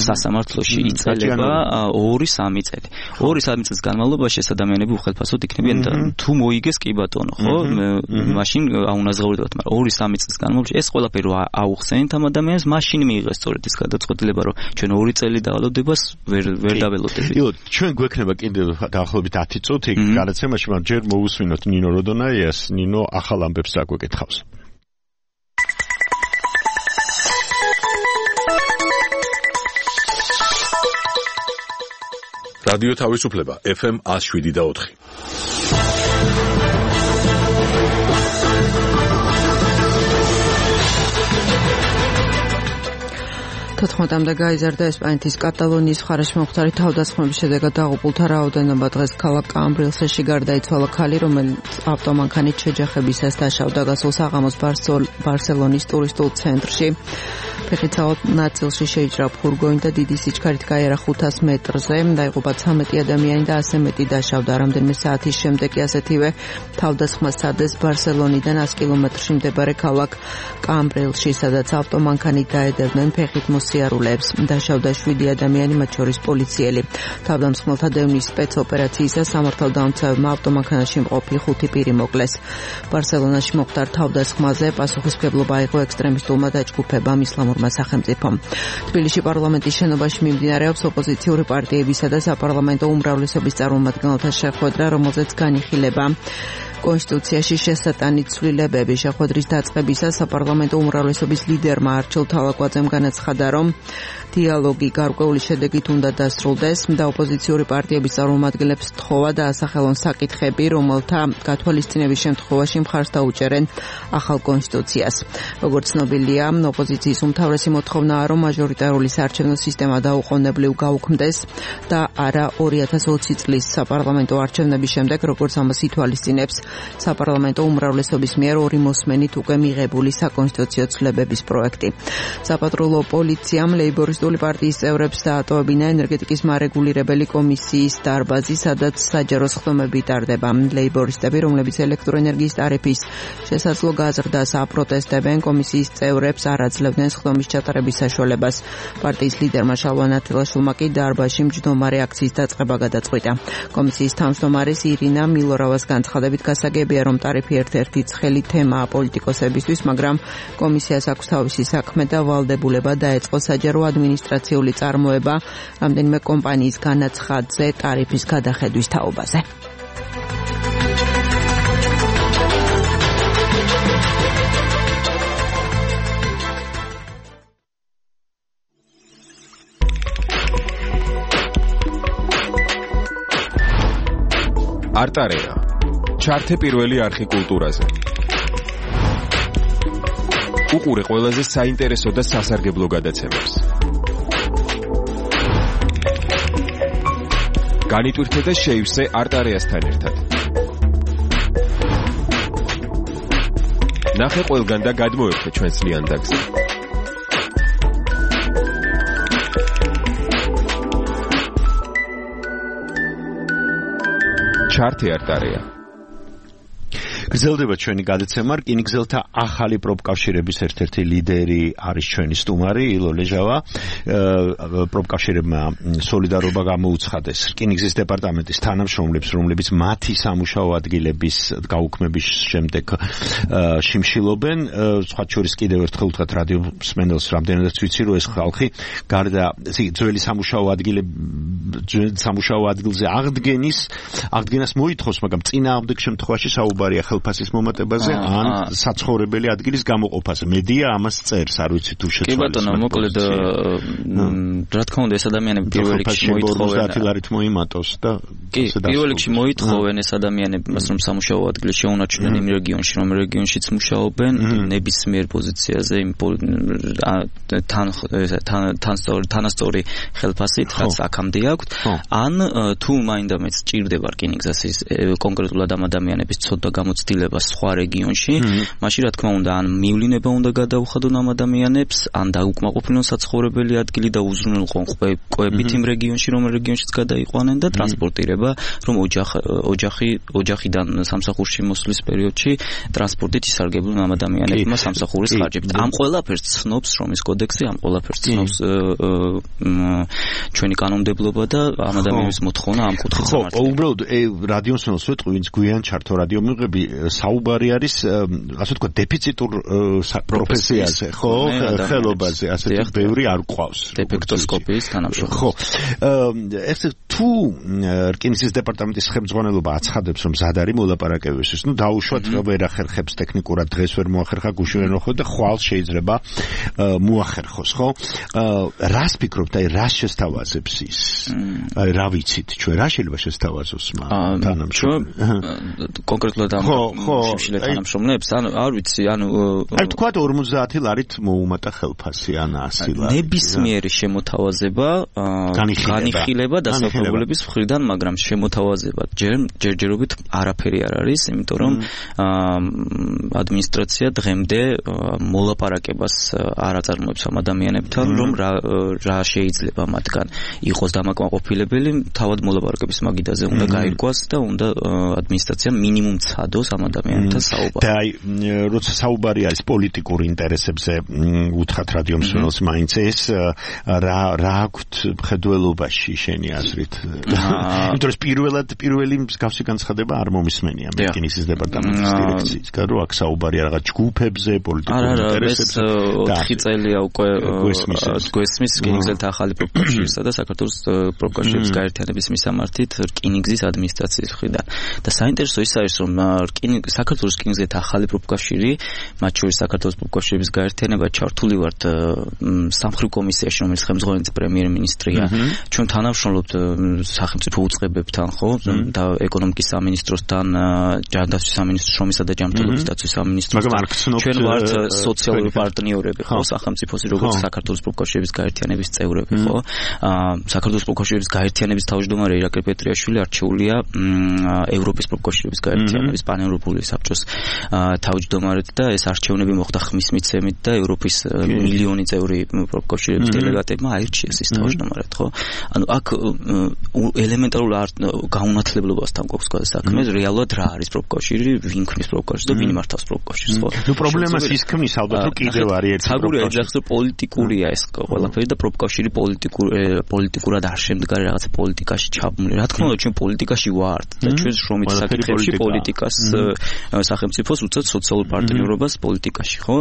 სასამართლოში იწელება ორი სამი წელი. ორი სამი წლის განმავლობაში ეს ადამიანები უხელფასოდ იქნებიან და თუ მოიგეს კი ბატონო, ხო? მაშინ აუნაზღაურდებათ, მაგრამ ორი სამი წლის განმავლობაში ეს ყველაფერი აუხსენით ამ ადამიანს, მაშინ მიიღეს სწორედ ეს გადაწყვეტილება, რომ ჩვენ ორი წელი დავალოდებას ვერ ვერ დაველოდებით. იო, ჩვენ გვექნება კიდევ დაახლოებით ათი წუთი გადაცემაში, მაგრამ ჯერ მოусვინოთ ნინო როდონაიას, ნინო ახალ ამბებს აგვეკითხავს. რადიო თავისუფლება ეფ ემ one oh seven და four. თოთხმეტამდე გაიზარდა ესპანეთის კატალონიის მხარეში მომხდარი თავდასხმების შედეგად დაღუპულთა რაოდენობა. დღეს ქალაქ კამბრილსში გარდაიცვალა ქალი, რომელიც ავტომანქანით შეჯახებისას დაშავდა გასულ საღამოს ბარსელონის ტურისტულ ცენტრში. ფეხით ნაწილში შეიჭრა ფურგონი და დიდი სიჩქარით გაიარა ხუთას მეტრზე. დაიღუპა ცამეტი ადამიანი და ასზე მეტი დაშავდა. რამდენიმე საათის შემდეგ ასეთივე თავდასხმა სცადეს ბარსელონიდან one კილომეტრში მდებარე ქალაქ კამბრილსში, სადაც ავტომანქანით დაედევდნენ ფეხით მოსიარულეებს. დაშავდა შვიდი ადამიანი, მათ შორის პოლიციელი. თავდამსხმელთა დევნის სპეცოპერაციისა სამართალდამცავებმა ავტომანქანაში მყოფი ხუთი პირი მოკლეს. ბარსელონაში მომხდარ თავდასხმაზე პასუხისმგებლობა აიღო ექსტრემისტულმა დაჯგუფებამ ისლამურმა სახელმწიფომ. თბილისში პარლამენტის შენობაში მიმდინარეობს ოპოზიციური პარტიებისა და საპარლამენტო უმრავლესობის წარმომადგენელთა შეხვედრა, რომელზეც განიხილება კონსტიტუციაში შესატანი ცვლილებები. შეხვედრის დაწყებისას საპარლამენტო უმრავლესობის ლიდერმა არჩილ თავაკვაძემ განაცხადა, რომ დიალოგი გარკვეული შედეგით უნდა დასრულდეს და ოპოზიციური პარტიების წარმომადგენლებს თხოვა დაასახელონ საკითხები, რომელთა გათვალისწინების შემთხვევაში მხარს დაუჭერენ ახალ კონსტიტუციას. როგორც ცნობილია, ოპოზიციის უმთავრესი მოთხოვნაა, რომ მაჟორიტარული საარჩევნო სისტემა დაუყოვნებლივ გაუქმდეს და არა ორი ათას ოცი წლის საპარლამენტო არჩევნების შემდეგ, როგორც ამას ითვალისწინებს საპარლამენტო უმრავლესობის მიერ ორი მოსმენით უკვე მიღებული საკონსტიტუციო ცვლილებების პროექტი. საპატრულო პოლიციამ ლეიბორისტული პარტიის წევრებს დაატოვებინა ენერგეტიკის მარეგულირებელი კომისიის დარბაზი, სადაც საჯარო სხდომები ტარდება. ლეიბორისტები, რომლებიც ელექტროენერგიის ტარიფის შესაძლო გაზრდას აპროტესტებენ, კომისიის წევრებს არ აძლევდნენ სხდომის ჩატარების საშუალებას. პარტიის ლიდერმა შალვა ნათელაშვილმა კი დარბაზში მჯდომარე აქციის დაწყება გადაწყვიტა. კომისიის თავმჯდომარის ირინა მილორავას განცხადებით გასაგებია, რომ ტარიფი ერთ-ერთი ცხელი თემაა პოლიტიკოსებისთვის, მაგრამ კომისიას აქვს თავისი საქმე და ვალდებულება დაეწყო საჯარო ადმინისტრაციული წარმოება რამდენიმე კომპანიის განაცხადზე ტარიფის გადახედვის თაობაზე. არტარეა. ჩართე პირველი არხი კულტურაზე. უყურე ყველაზე საინტერესო და სასარგებლო გადაცემებს. განიტვირთე და შეივსე არტარეასთან ერთად. ნახე ყველგან და გადმოერთე ჩვენს ლიანდაგზე. ჩართე არტარეა. გრძელდება ჩვენი გადაცემა, რკინიგზელთა ახალი პროფკავშირების ერთ-ერთი ლიდერი არის ჩვენი სტუმარი ილო ლეჟავა. პროფკავშირებმა სოლიდარობა გამოუცხადეს რკინიგზის დეპარტამენტის თანამშრომლებს, რომლებიც მათი სამუშაო ადგილების გაუქმების შემდეგ შიმშილობენ. სხვა შორის კიდევ ერთხელ ვთქვათ რადიო მსმენელს, რამდენადაც ვიცი, რომ ეს ხალხი გარდა ძველი სამუშაო ადგილების სამუშაო ადგილზე აღდგენის აღდგენას მოითხოვს, მაგრამ წინააღმდეგ შემთხვევაში საუბარია ხელფასის მომატებაზე ან საცხოვრებელი ადგილის გამოყოფაზე. მედია ამას წერს, არ ვიცი თუ შეცვალეს. კი ბატონო, მოკლედ რა თქმა უნდა ეს ადამიანები პირველ რიგში მოითხოვენ ოცდაათი ლარით მოიმატოს და კი პირველ რიგში მოითხოვენ ეს ადამიანები, რომ სამუშაო ადგილი შეუნარჩუნեն იმ რეგიონში, რომ რეგიონშიც მუშაობენ ნებისმიერ პოზიციაზე იმ თან თანასწორი ხელფასით, რაც აქამდე აქვთ, ან თუ მაინდამეც ჭირდება რკინიგზის კონკრეტულად ამ ადამიანების ცოდვა გამოცდილება სხვა რეგიონში, მაშინ რა თქმა უნდა ან მივლინება უნდა გადაუხადონ ამ ადამიანებს, ან დაუკმაყოფილონ საცხოვრებელი ადგილი და უზრუნველყონ კვებით იმ რეგიონში, რომ რეგიონშიც გადაიყვანენ და ტრანსპორტირება, რომ ოჯახი ოჯახიდან სამსახურში მოსვლის პერიოდში ტრანსპორტით ისარგებლონ ამ ადამიანებმა სამსახურის ხარჯებით. ამ ყველაფერს ცნობს რომის კოდექსი, ამ ყველაფერს ცნობს ჩვენი კანონმდებლობა და ამ ადამიანების მოთხოვნა ამ კუთხით სამართლია. ხო, უბრალოდ რადიოს მოსვლა ვიტყვი, ვინც გვიან ჩართო რადიო მიღები საუბარი არის ასე თქვა დეფიციტურ პროფესიაზე, ხო, ხელობაზე, ასეთი ბევრი არ ყავს. დეფექტოსკოპიის თანამშრომელი. ხო. ეს თუ რკინიგზის დეპარტამენტის ხელმძღვანელობა აცხადებს, რომ მზად არის მოლაპარაკებისთვის, ნუ დაუშვათ ვერ ახერხებს ტექნიკურად, დღეს ვერ მოახერხა, გუშინ ვერ მოხდა, ხვალ შეიძლება მოახერხოს, ხო? რას ფიქრობთ, აი რას შესთავაზებს ის? აი რა ვიცით, ჩვენ რა შეიძლება შესთავაზოს მან თანამშრომლებს? კონკრეტულად ამ შიმშილ თანამშრომლებს, ანუ არ ვიცი, ანუ აი თქვა ორმოცდაათი ლარით მოუმატა ხელფასი ან ასი ლარი. ნებისმიერი შემოთავაზება განიხილება დასახლებულების მხრიდან, მაგრამ შემოთავაზება ჯერჯერობით არაფერი არ არის, იმიტომ რომ ადმინისტრაცია დღემდე მოლაპარაკებას არ აწარმოებს ამ ადამიანებთან, რომ რა შეიძლება მათგან იყოს დამაკმაყოფილებელი, თავად მოლაპარაკების მაგიდაზე უნდა გაირკვას და უნდა ადმინისტრაცია მინიმუმ ცადოს ამ ადამიანებთან საუბარი. და აი როცა საუბარი არის პოლიტიკურ ინტერესებზე, უთხრათ რადიო მსმენელს მაინც ეს რა რა აქვთ მხედველობაში შენი აზრით? იმიტომ რომ პირველად პირველი მსგავსი განცხადება არ მომისმენია რკინიგზის დეპარტამენტის დირექციისგან, რომ აქ საუბარია რაღაც ჯგუფებზე, პოლიტიკურ ინტერესებზე. ოთხი წელია უკვე გვესმის რკინიგზელთა ახალი პროფკავშირისა და საქართველოს პროფკავშირების გაერთიანების მისამართით რკინიგზის ადმინისტრაციის მხრიდან. და საინტერესო ის არის, რომ საქართველოს რკინიგზელთა ახალი პროფკავშირი, მათ შორის საქართველოს პროფკავშირების გაერთიანება ჩართული ვართ სამხედრო კომისიაში, რომელიც ხელმძღვანელი პრემიერ-მინისტრია. ჩვენ თანამშრომლობთ სახელმწიფო უწყებებთან, ხო, და ეკონომიკის სამინისტროსთან, ჯანდაცვის სამინისტროს, შრომისა და ჯანმრთელობის დაცვის სამინისტროსთან. ჩვენ ვართ სოციალური პარტნიორები, ხო, სახელმწიფოს, როგორც საქართველოს პროფკავშირების გაერთიანების წევრები, ხო. საქართველოს პროფკავშირების გაერთიანების თავმჯდომარე ირაკლი პეტრიაშვილი არჩეულია ევროპის პროფკავშირების გაერთიანების პანევროპული საბჭოს თავმჯდომარედ და ეს არჩევნები მოხდა ხმის მიცემით და ევროპის მილიონი წევრი პროფკავშირების დელეგატებმა აირჩიეს ის თავმჯდომარედ, ხო? ანუ აქ ელემენტარულ გაუნათლებლობასთან გვაქვს საქმე, რეალურად რა არის პროფკავშირი, ვინ ქმნის პროფკავშირს და ვინ მართავს პროფკავშირს, ხო? ნუ პრობლემას ის ქმნის ალბათ, რომ კიდევ არის ერთი პროფკავშირი. პოლიტიკურია ეს ყველაფერი და პროფკავშირი პოლიტიკურად არ შემდგარი რაღაცა პოლიტიკაში ჩაბმული. რა თქმა უნდა, ჩვენ პოლიტიკაში ვართ და ჩვენ შრომით საკითხებში პოლიტიკას სახელმწიფოს უწევთ სოციალურ პარტნიორობას პოლიტიკაში, ხო?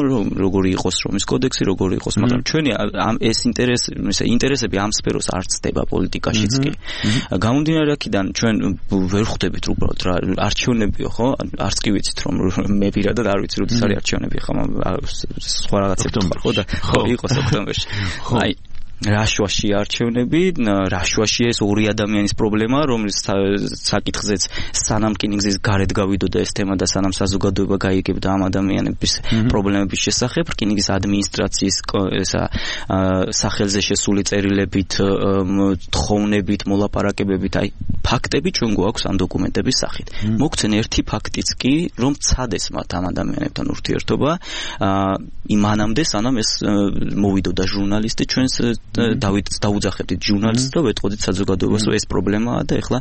როგორი იყოს შრომის კოდექსი, როგორი იყოს, მაგრამ ჩვენი ეს ინტერესი, ესე ინტერესები ამ სფეროს არ ცდება პოლიტიკაშიც კი. გამომდინარე აქედან ჩვენ ვერ ხვდებით უბრალოდ რა არჩევნებიო, ხო? არც კი ვიცით რომ მე პირადად არ ვიცი როდის არის არჩევნები, ხო? სხვა რაღაცები ხო და ხო იყოს ოქტომბერში. აი რაშვაში არჩევნები, რაშვაში ეს ორი ადამიანის პრობლემა, რომლის საკითხზეც სანამ რკინიგზის გარეთ გავიდოდა ეს თემა და სანამ საზოგადოება გაიგებდა ამ ადამიანების პრობლემების შესახებ, რკინიგზის ადმინისტრაციის ესა სახელზე შესული წერილებით, თხოვნებით, მოლაპარაკებებით, აი ფაქტები ჩვენ გვაქვს ამ დოკუმენტების სახით. მოგცენ ერთი ფაქტიც კი, რომ ცადეს მათ ამ ადამიანებთან ურთიერთობა, იმანამდე სანამ ეს მოვიდოდა ჟურნალისტი ჩვენს დავით დაუძახებდით ჟურნალისტს და ვეტყოდით საზოგადოებას, რომ ეს პრობლემაა და ეხლა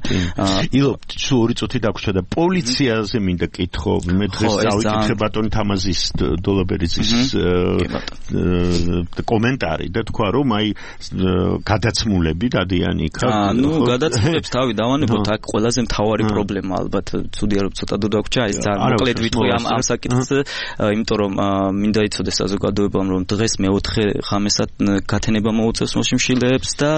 ილო სულ ორი წუთი დაგვრჩა და პოლიციაზე მინდა კითხო, მე დღეს დავიკითხე ბატონ თამაზის დოლაბერიძის კომენტარი და თქვა რომ აი გადაცმულები დადიან იქ. ნუ გადაცმულებს თავი დავანებოთ, აქ ყველაზე მთავარი პრობლემა ალბათ ცუდია რომ ცოტა დრო დაგვრჩა, ეს ძალიან მოკლედ ვიტყვი ამ ამ საკითხს, იმიტომ რომ მინდა იცოდეს საზოგადოებამ რომ დღეს მეოთხე ღამესად გათენება მოუწევს მოშიმშილეებს და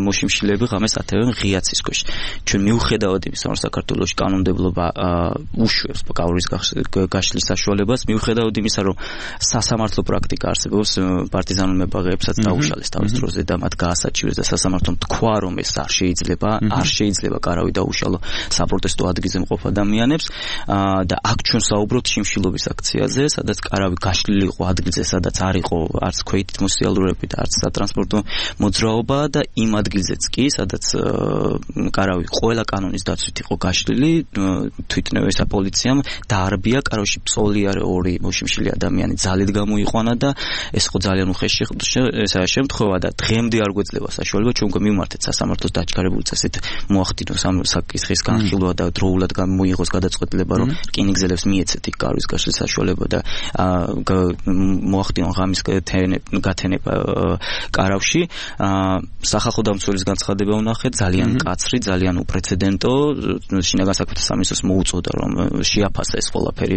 მოშიმშილეები ღამეს ათევენ ღიაცის ქვეშ. ჩვენ მიუხედავად იმისა, რომ საქართველოში კანონმდებლობა უშვებს კავრის გაშლის საშუალებას, მიუხედავად იმისა, რომ სასამართლო პრაქტიკა არსებობს, პარტიზანულ მებაღეებსაც დაუშალეს თავის დროზე და მათ გაასაჩივრეს და სასამართლომ თქვა, რომ ეს არ შეიძლება, არ შეიძლება კარავი დაუშალო საპროტესტო ადგილზე მყოფ ადამიანებს და აქ ჩვენ საუბრობთ შიმშილობის აქციაზე, სადაც კარავი გაშლილი იყო ადგილზე, სადაც არ იყო არც ქვეითით მოსიალურეები და არც სატრანსპორტო მოძრაობა და იმ ადგილზეც კი, სადაც კარავი ყველა კანონის დაცვით იყო გაშლილი, თვითნავ ესა პოლიციამ დაარბია კარავში ფსოლი არის ორი მოშიმშილი ადამიანი ძალით გამოიყვანა და ეს ხო ძალიან უხეში ესაა შემთხვევა და დღემდე არ გვეძლება საშუალება ჩვენ გვიმართეთ სასამართლოს დაჩქარებული წესით მოახდინოს ამ საკითხის განხილვა და დროულად გამოიღოს გადაწყვეტილება, რომ რკინიგზელებს მიეცეთ იქ კარვის გაშლის საშუალება და მოახდინონ ღამის გათენება კარავში. სახალხო დამცველის განცხადება ვნახეთ, ძალიან მკაცრი, ძალიან უპრეცედენტო, შინაგან საქმეთა სამინისტროს მოუწოდა რომ შეაფასა ეს ყველაფერი,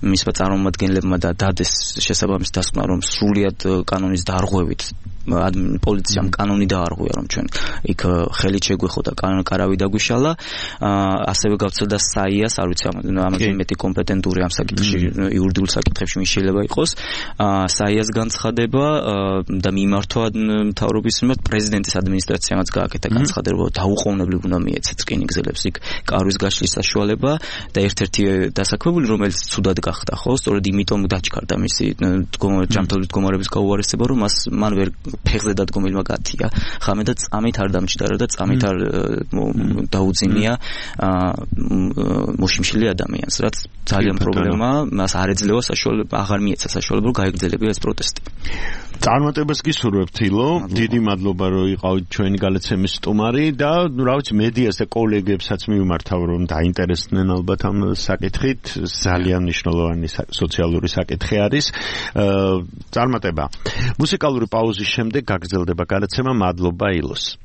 მისმა წარმომადგენლებმა და დადეს შესაბამის დასკვნა, რომ სრულიად კანონის დარღვევით პოლიციამ კანონი დაარღვია, რომ ჩვენ იქ ხელით შეგვეხოდა კარავი დაგვიშალა, ასევე გავცელდა საიას, არ ვიცი ამაზე მეტი კომპეტენტური ამ საკითხში, იურიდიულ საკითხებში ვინ შეიძლება იყოს, საიას განცხადება და მიმართვა მთავრობის მიმართ პრეზიდენტის ადმინისტრაციამაც გააკეთა განცხადება, რომ დაუყოვნებლივ უნდა მიეცეთ რკინიგზელებს იქ კარვის გაშლის საშუალება და ერთ-ერთი დასაქმებული, რომელიც ცუდად გახდა, ხო, სწორედ იმიტომ დაჩქარდა მისი ჯანმრთელობის მდგომარეობის გაუარესება, რომ მას მან ვერ ფეხზე დადგომილმა გათია ხამე და წამით არ დამჭდარა და წამით არ დაუძინია მოშიმშილი ადამიანს, რაც ძალიან პრობლემაა, მას არ ეძლევა საშუალება, აღარ მიეცა საშუალება, რომ გაეგრძელებინა ეს პროტესტი. წარმატებას გისურვებთ, ილო, დიდი მადლობა, რომ იყავით ჩვენი გალაცემის სტუმარი და რა ვიცი, მედიას და კოლეგებსაც მივმართავ, რომ დაინტერესდნენ ალბათ ამ საკითხით, ძალიან მნიშვნელოვანი სოციალური საკითხი არის. წარმატება. მუსიკალური პაუზის შემდეგ გაგრძელდება გადაცემა. მადლობა ილოს.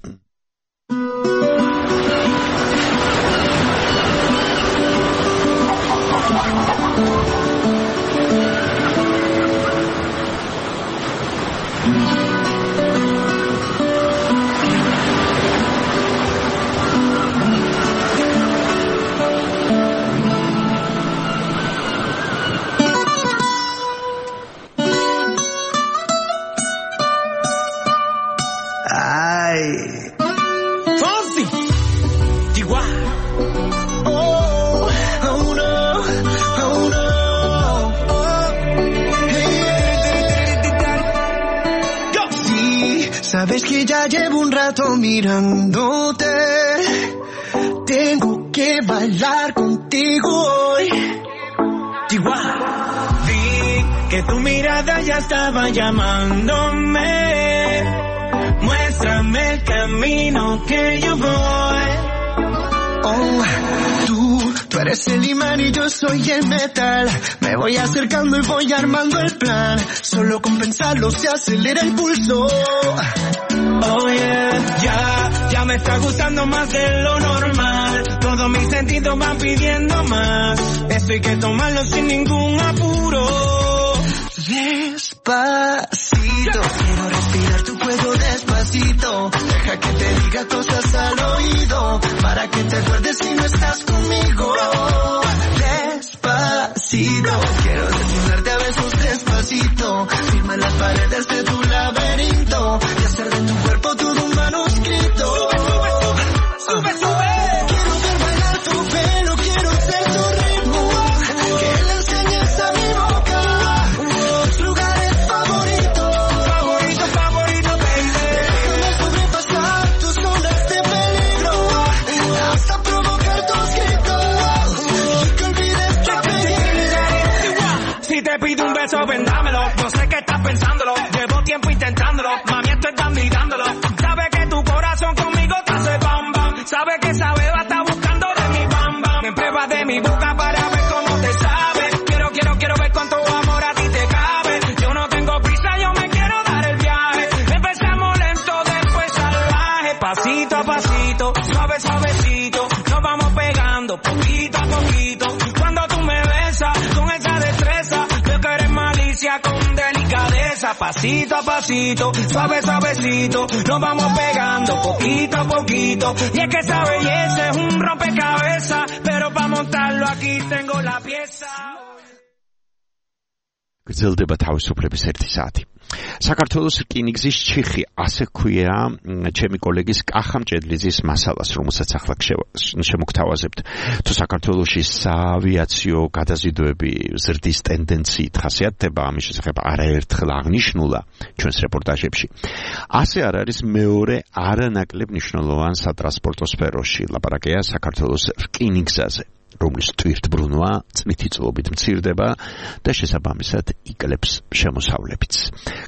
Sabes que ya llevo un rato mirándote. Tengo que bailar contigo hoy. Igual. Vi que tu mirada ya estaba llamándome. Muéstrame el camino que yo voy. Oh, tú, tú eres el imán y yo soy el metal. Me voy acercando y voy armando el plan. Solo con pensarlo se acelera el pulso. Oh yeah, ya, ya me está gustando más de lo normal. Todos mis sentidos van pidiendo más. Esto hay que tomarlo sin ningún apuro. Despacito, quiero respirar tu cuello despacito. Deja que te diga cosas al oído, para que te acuerdes si no estás conmigo. Despacito, quiero desnudarte a besos despacito. Firma las paredes de tu laberinto. Sube, sube, ven, dámelo. No sé qué estás pensándolo. Llevo tiempo intentándolo. Mami, esto es dando y dándolo. Sabe que tu corazón conmigo te hace bam, bam. Sabe que esa beba está buscando de mi bam, bam. Me pruebas de mi boca para ver cómo te sabe. Quiero, quiero, quiero ver cuánto amor a ti te cabe. Yo no tengo prisa, yo me quiero dar el viaje. Empezamos lento, después salvaje. Pasito a pasito, suave, suavecito. Nos vamos pegando poquito a poquito. Cuando tú me besas con esa destreza, veo que eres malicia con delicadeza. Pasito a pasito, suave, suavecito. Nos vamos pegando poquito a poquito. Y es que esa belleza es un rompecabezas, pero para montarlo aquí tengo la pieza. გრძელდება თავისუფლების ერთი საათი. საქართველოს რკინიგზის ჩიხი, ასე ქვია ჩემი კოლეგის კახა მჭედლიძის მასალას, რომელსაც ახლა შემოგთავაზებთ. თუ საქართველოში საავიაციო გადაზიდვები ზრდის ტენდენციით ხასიათდება, ამის შესახებ არაერთხელ აღნიშნულა ჩვენს რეპორტაჟებში. ასე არ არის მეორე არანაკლებ მნიშვნელოვან სატრანსპორტო სფეროში, ლაპარაკია საქართველოს რკინიგზაზე, რომლის ტვირთბრუნვა წლითი წლობით მცირდება და შესაბამისად იკლებს შემოსავლებიც.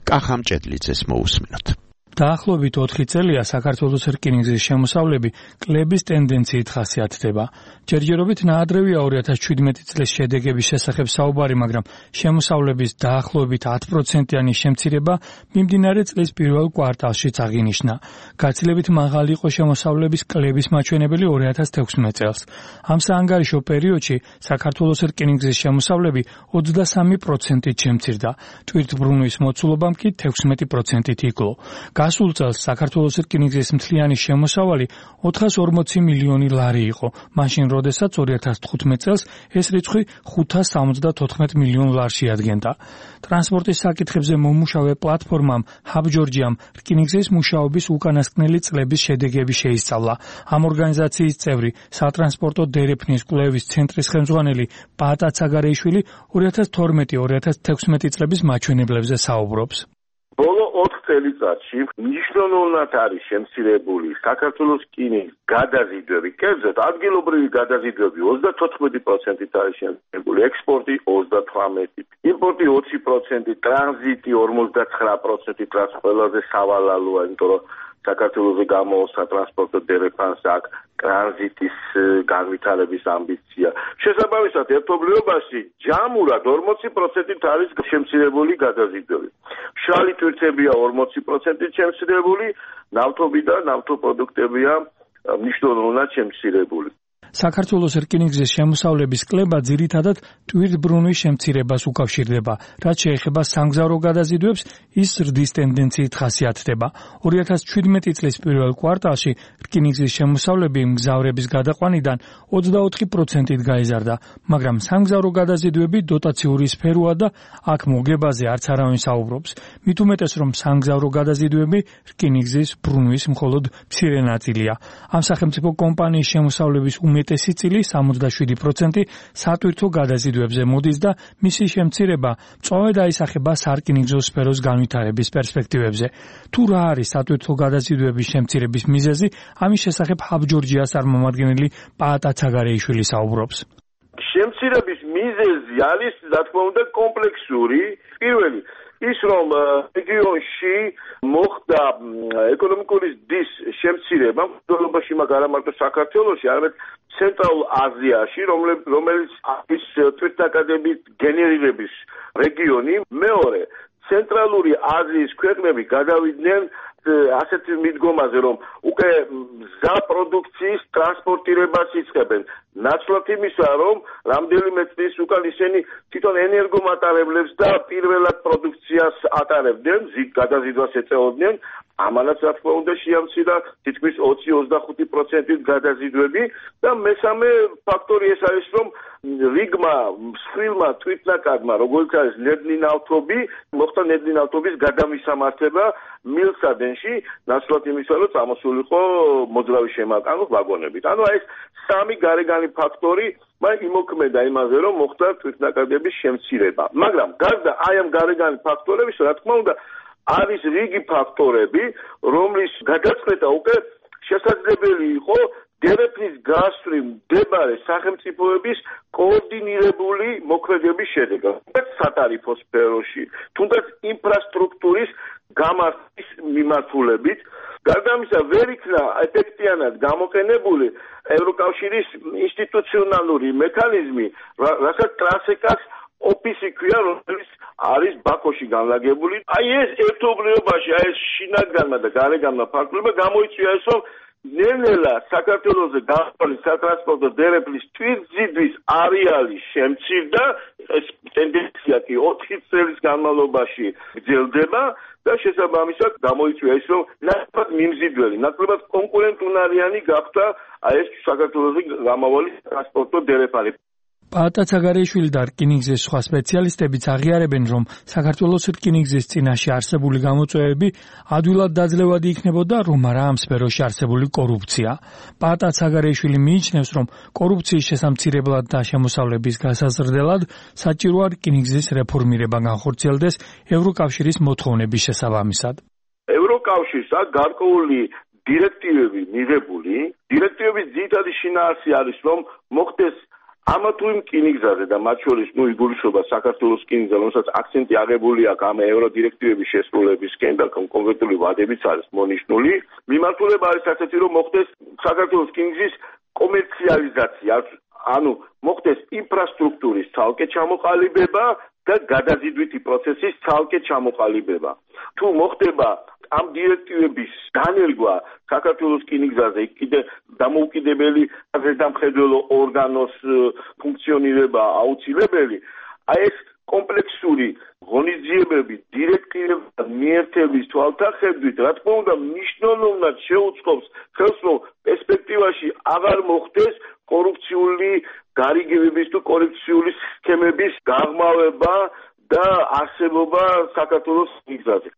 კახა მჭედლიძეს მოусმინოთ. დაახლოებით ოთხი წელია საქართველოს რკინიგზის შემოსავლები კლების ტენდენციით ხასიათდება. ჯერჯერობით ნაადრევია ორი ათას შვიდმეტი წლის შედეგების შესახებ საუბარი, მაგრამ შემოსავლების დაახლოებით ათი პროცენტიანი შემცირება მიმდინარე წლის პირველ კვარტალშიც აღინიშნა. გაცილებით მაღალი იყო შემოსავლების კლების მაჩვენებელი ორი ათას თექვსმეტ წელს. ამ საანგარიშო პერიოდში საქართველოს რკინიგზის შემოსავლები ოცდასამი პროცენტით შემცირდა. ტვირთბრუნვის მოცულობამ კი თექვსმეტი პროცენტით იკლო. გასულ წელს საქართველოს რკინიგზის მთლიანი შემოსავალი ოთხას ორმოცი მილიონი ლარი იყო, მაშინ როდესაც ორი ათას თხუთმეტ წელს ეს რიცხვი ხუთას სამოცდათოთხმეტ მილიონ ლარს შეადგენდა. ტრანსპორტის საკითხებზე მომუშავე პლატფორმამ ჰაბჯორჯიამ რკინიგზის მუშაობის უკანასკნელი წლების შედეგები შეისწავლა. ამ ორგანიზაციის წევრი, სატრანსპორტო დერეფნის კვლევის ცენტრის ხელმძღვანელი პაატა ცაგარეიშვილი ორი ათას თორმეტი ორი ათას თექვსმეტი წლების მაჩვენებლებზე საუბრობს. ბოლო ოთხ წელიწადში მნიშვნელოვნად არის შემცირებული საქართველოს რკინიგზის გადაზიდვები, კერძოდ ადგილობრივი გადაზიდვები ოცდათოთხმეტი პროცენტით არის შემცირებული, ექსპორტი ოცდათვრამეტით, იმპორტი ოცი პროცენტით, ტრანზიტი ორმოცდათხრა პროცენტით, რაც ყველაზე სავალალოა, იმიტომ რომ საქართველოს გამოოს სატრანსპორტო დერეფანს აქვს ტრანზიტის განვითარების ამბიცია. შესაბამისად, ერთობლიობაში ჯამურად ორმოცი პროცენტით არის შემცირებული გადაზიდვები. მშრალი ტვირთებია ორმოცი პროცენტით შემცირებული, ნავთობი და ნავთობპროდუქტებია მნიშვნელოვნად შემცირებული. საქართველოს რკინიგზის შემოსავლების კლება ძირითადად ტვირთბრუნვის შემცირებას უკავშირდება, რაც შეეხება სამგზავრო გადაზიდვებს, ის ზრდის ტენდენციით ხასიათდება. ორი ათას შვიდმეტი წლის პირველ კვარტალში რკინიგზის შემოსავლები მგზავრების გადაყვანიდან ოცდაოთხი პროცენტით გაიზარდა, მაგრამ სამგზავრო გადაზიდვები დოტაციური სფეროა და აქ მოგებაზე არც არავინ საუბრობს. მით უმეტეს, რომ სამგზავრო გადაზიდვები რკინიგზის ბრუნვის მხოლოდ მცირე ნაწილია. ამ სახელმწიფო კომპანიის შემოსავლების უმეტესი წილი სამოცდაშვიდი პროცენტი სატვირთო გადაზიდვებზე მოდის და მისი შემცირება მწვავედ აისახება სარკინიგზო სფეროს განვითარების პერსპექტივებზე. თუ რა არის სატვირთო გადაზიდვების შემცირების მიზეზი, ამის შესახებ ჰაბჯორჯიას წარმომადგენელი პაატა ცაგარეიშვილი საუბრობს. შემცირების მიზეზი არის, რა თქმა უნდა, კომპლექსური. პირველი ის რომ რეგიონში მოხდა ეკონომიკური ზრდის შემცირება, მთავრობაში მაგრამ არა მარტო საქართველოში, არამედ ცენტრალურ აზიაში, რომელიც არის თვითნაკადების გენერირების რეგიონი. მეორე, ცენტრალური აზიის ქვეყნები გადავიდნენ ასეთ მიდგომაზე, რომ უკვე მზა პროდუქციის ტრანსპორტირებას იწყებენ. ნაცვლად იმისა, რომ რამდენიმე წლის უკან ისინი თვითონ ენერგომატარებლებს და პირველად პროდუქციას ატარებდნენ, ზიგ გადაზიდვას ეწეოდნენ. ამანაც რა თქმა უნდა შეამცირა თითქმის ოცი ოცდახუთი პროცენტით გადაზიდვები და მესამე ფაქტორი ეს არის, რომ რიგმა მსხვილმა თვითნაკადმა, როგორც არის ნედლი ნავთობი, მოხდა ნედლი ნავთობის გადამისამართება მილსადენში, ნაცვლად იმისა, რომ წამოსულიყო მოძრავი შემაკანო ვაგონებით. ანუ ეს სამი გარეგანი ფაქტორი მან იმოქმედა იმაზე, რომ მოხდა თვითნაკადების შემცირება. მაგრამ გარდა აი ამ გარეგანი ფაქტორების, რა თქმა უნდა, არის რიგი ფაქტორები, რომლის გადაწყვეტა უკვე შესაძლებელი იყო დერეფნის გასწვრივ მდებარე სახელმწიფოების კოორდინირებული მოქმედების შედეგად, თუნდაც სატარიფო სფეროში, თუნდაც ინფრასტრუქტურის გამართის მიმართულებით. გარდა ამისა, ვერ იქნა ეფექტიანად გამოყენებული ევროკავშირის ინსტიტუციონალური მექანიზმი, რასაც ტრასეკას ოფისი ქვია, რომელიც არის ბაქოში განლაგებული. აი ეს ერთობლიობაში, აი ეს შინაგანმა და გარეგანმა ფაქტორებმა გამოიწვია ეს, რომ ნელ-ნელა საქართველოზე გამართული სატრანსპორტო დერეფნის თვითმზიდვის არეალი შემცირდა, ეს ტენდენცია კი ოთხი წლის განმავლობაში გრძელდება და შესაბამისად გამოიწვია ის, რომ ნაკლებად მიმზიდველი, ნაკლებად კონკურენტუნარიანი გახდა აი ეს საქართველოზე გამავალი ტრანსპორტო დერეფანი. პაატა ცაგარეიშვილი და რკინიგზის სხვა სპეციალისტებიც აღიარებენ, რომ საქართველოს რკინიგზის წინაშე არსებული გამოწვევები ადვილად დაძლევადი იქნებოდა, რომ არა ამ სფეროში არსებული კორუფცია. პაატა ცაგარეიშვილი მიიჩნევს, რომ კორუფციის შესამცირებლად და შემოსავლების გასაზრდელად საჭიროა რკინიგზის რეფორმირება განხორციელდეს ევროკავშირის მოთხოვნების შესაბამისად. ევროკავშირს აქვს გარკვეული დირექტივები მიღებული. დირექტივების ძირითადი შინაარსი არის, რომ მოხდეს ამა თუ იმ რკინიგზაზე და მათ შორის ნუ იგულისხმება საქართველოს რკინიგზა, რომელსაც აქცენტი აღებული აქვს ამ ევროდირექტივების შესრულებისკენ და კონკრეტული ვადებიც არის მონიშნული. მიმართულება არის ასეთი, რომ მოხდეს საქართველოს რკინიგზის კომერციალიზაცია, ანუ მოხდეს ინფრასტრუქტურის ცალკე ჩამოყალიბება და გადაზიდვითი პროცესის ცალკე ჩამოყალიბება. თუ მოხდება ამ დირექტივების დანერგვა საქართველოს რკინიგზაზე კიდე დამოუკიდებელი ზედამხედველო ორგანოს ფუნქციონირება აუცილებელი, აი ეს კომპლექსური ღონისძიებები დირექტივების მიერთების თვალსაჩინო, რა თქმა უნდა, მნიშვნელოვნად შეუწყობს ხელს, რომ პერსპექტივაში აღარ მოხდეს კორუფციული გარიგებების თუ კორუფციული სქემების გაღრმავება და არსებობა საქართველოს რკინიგზაზე.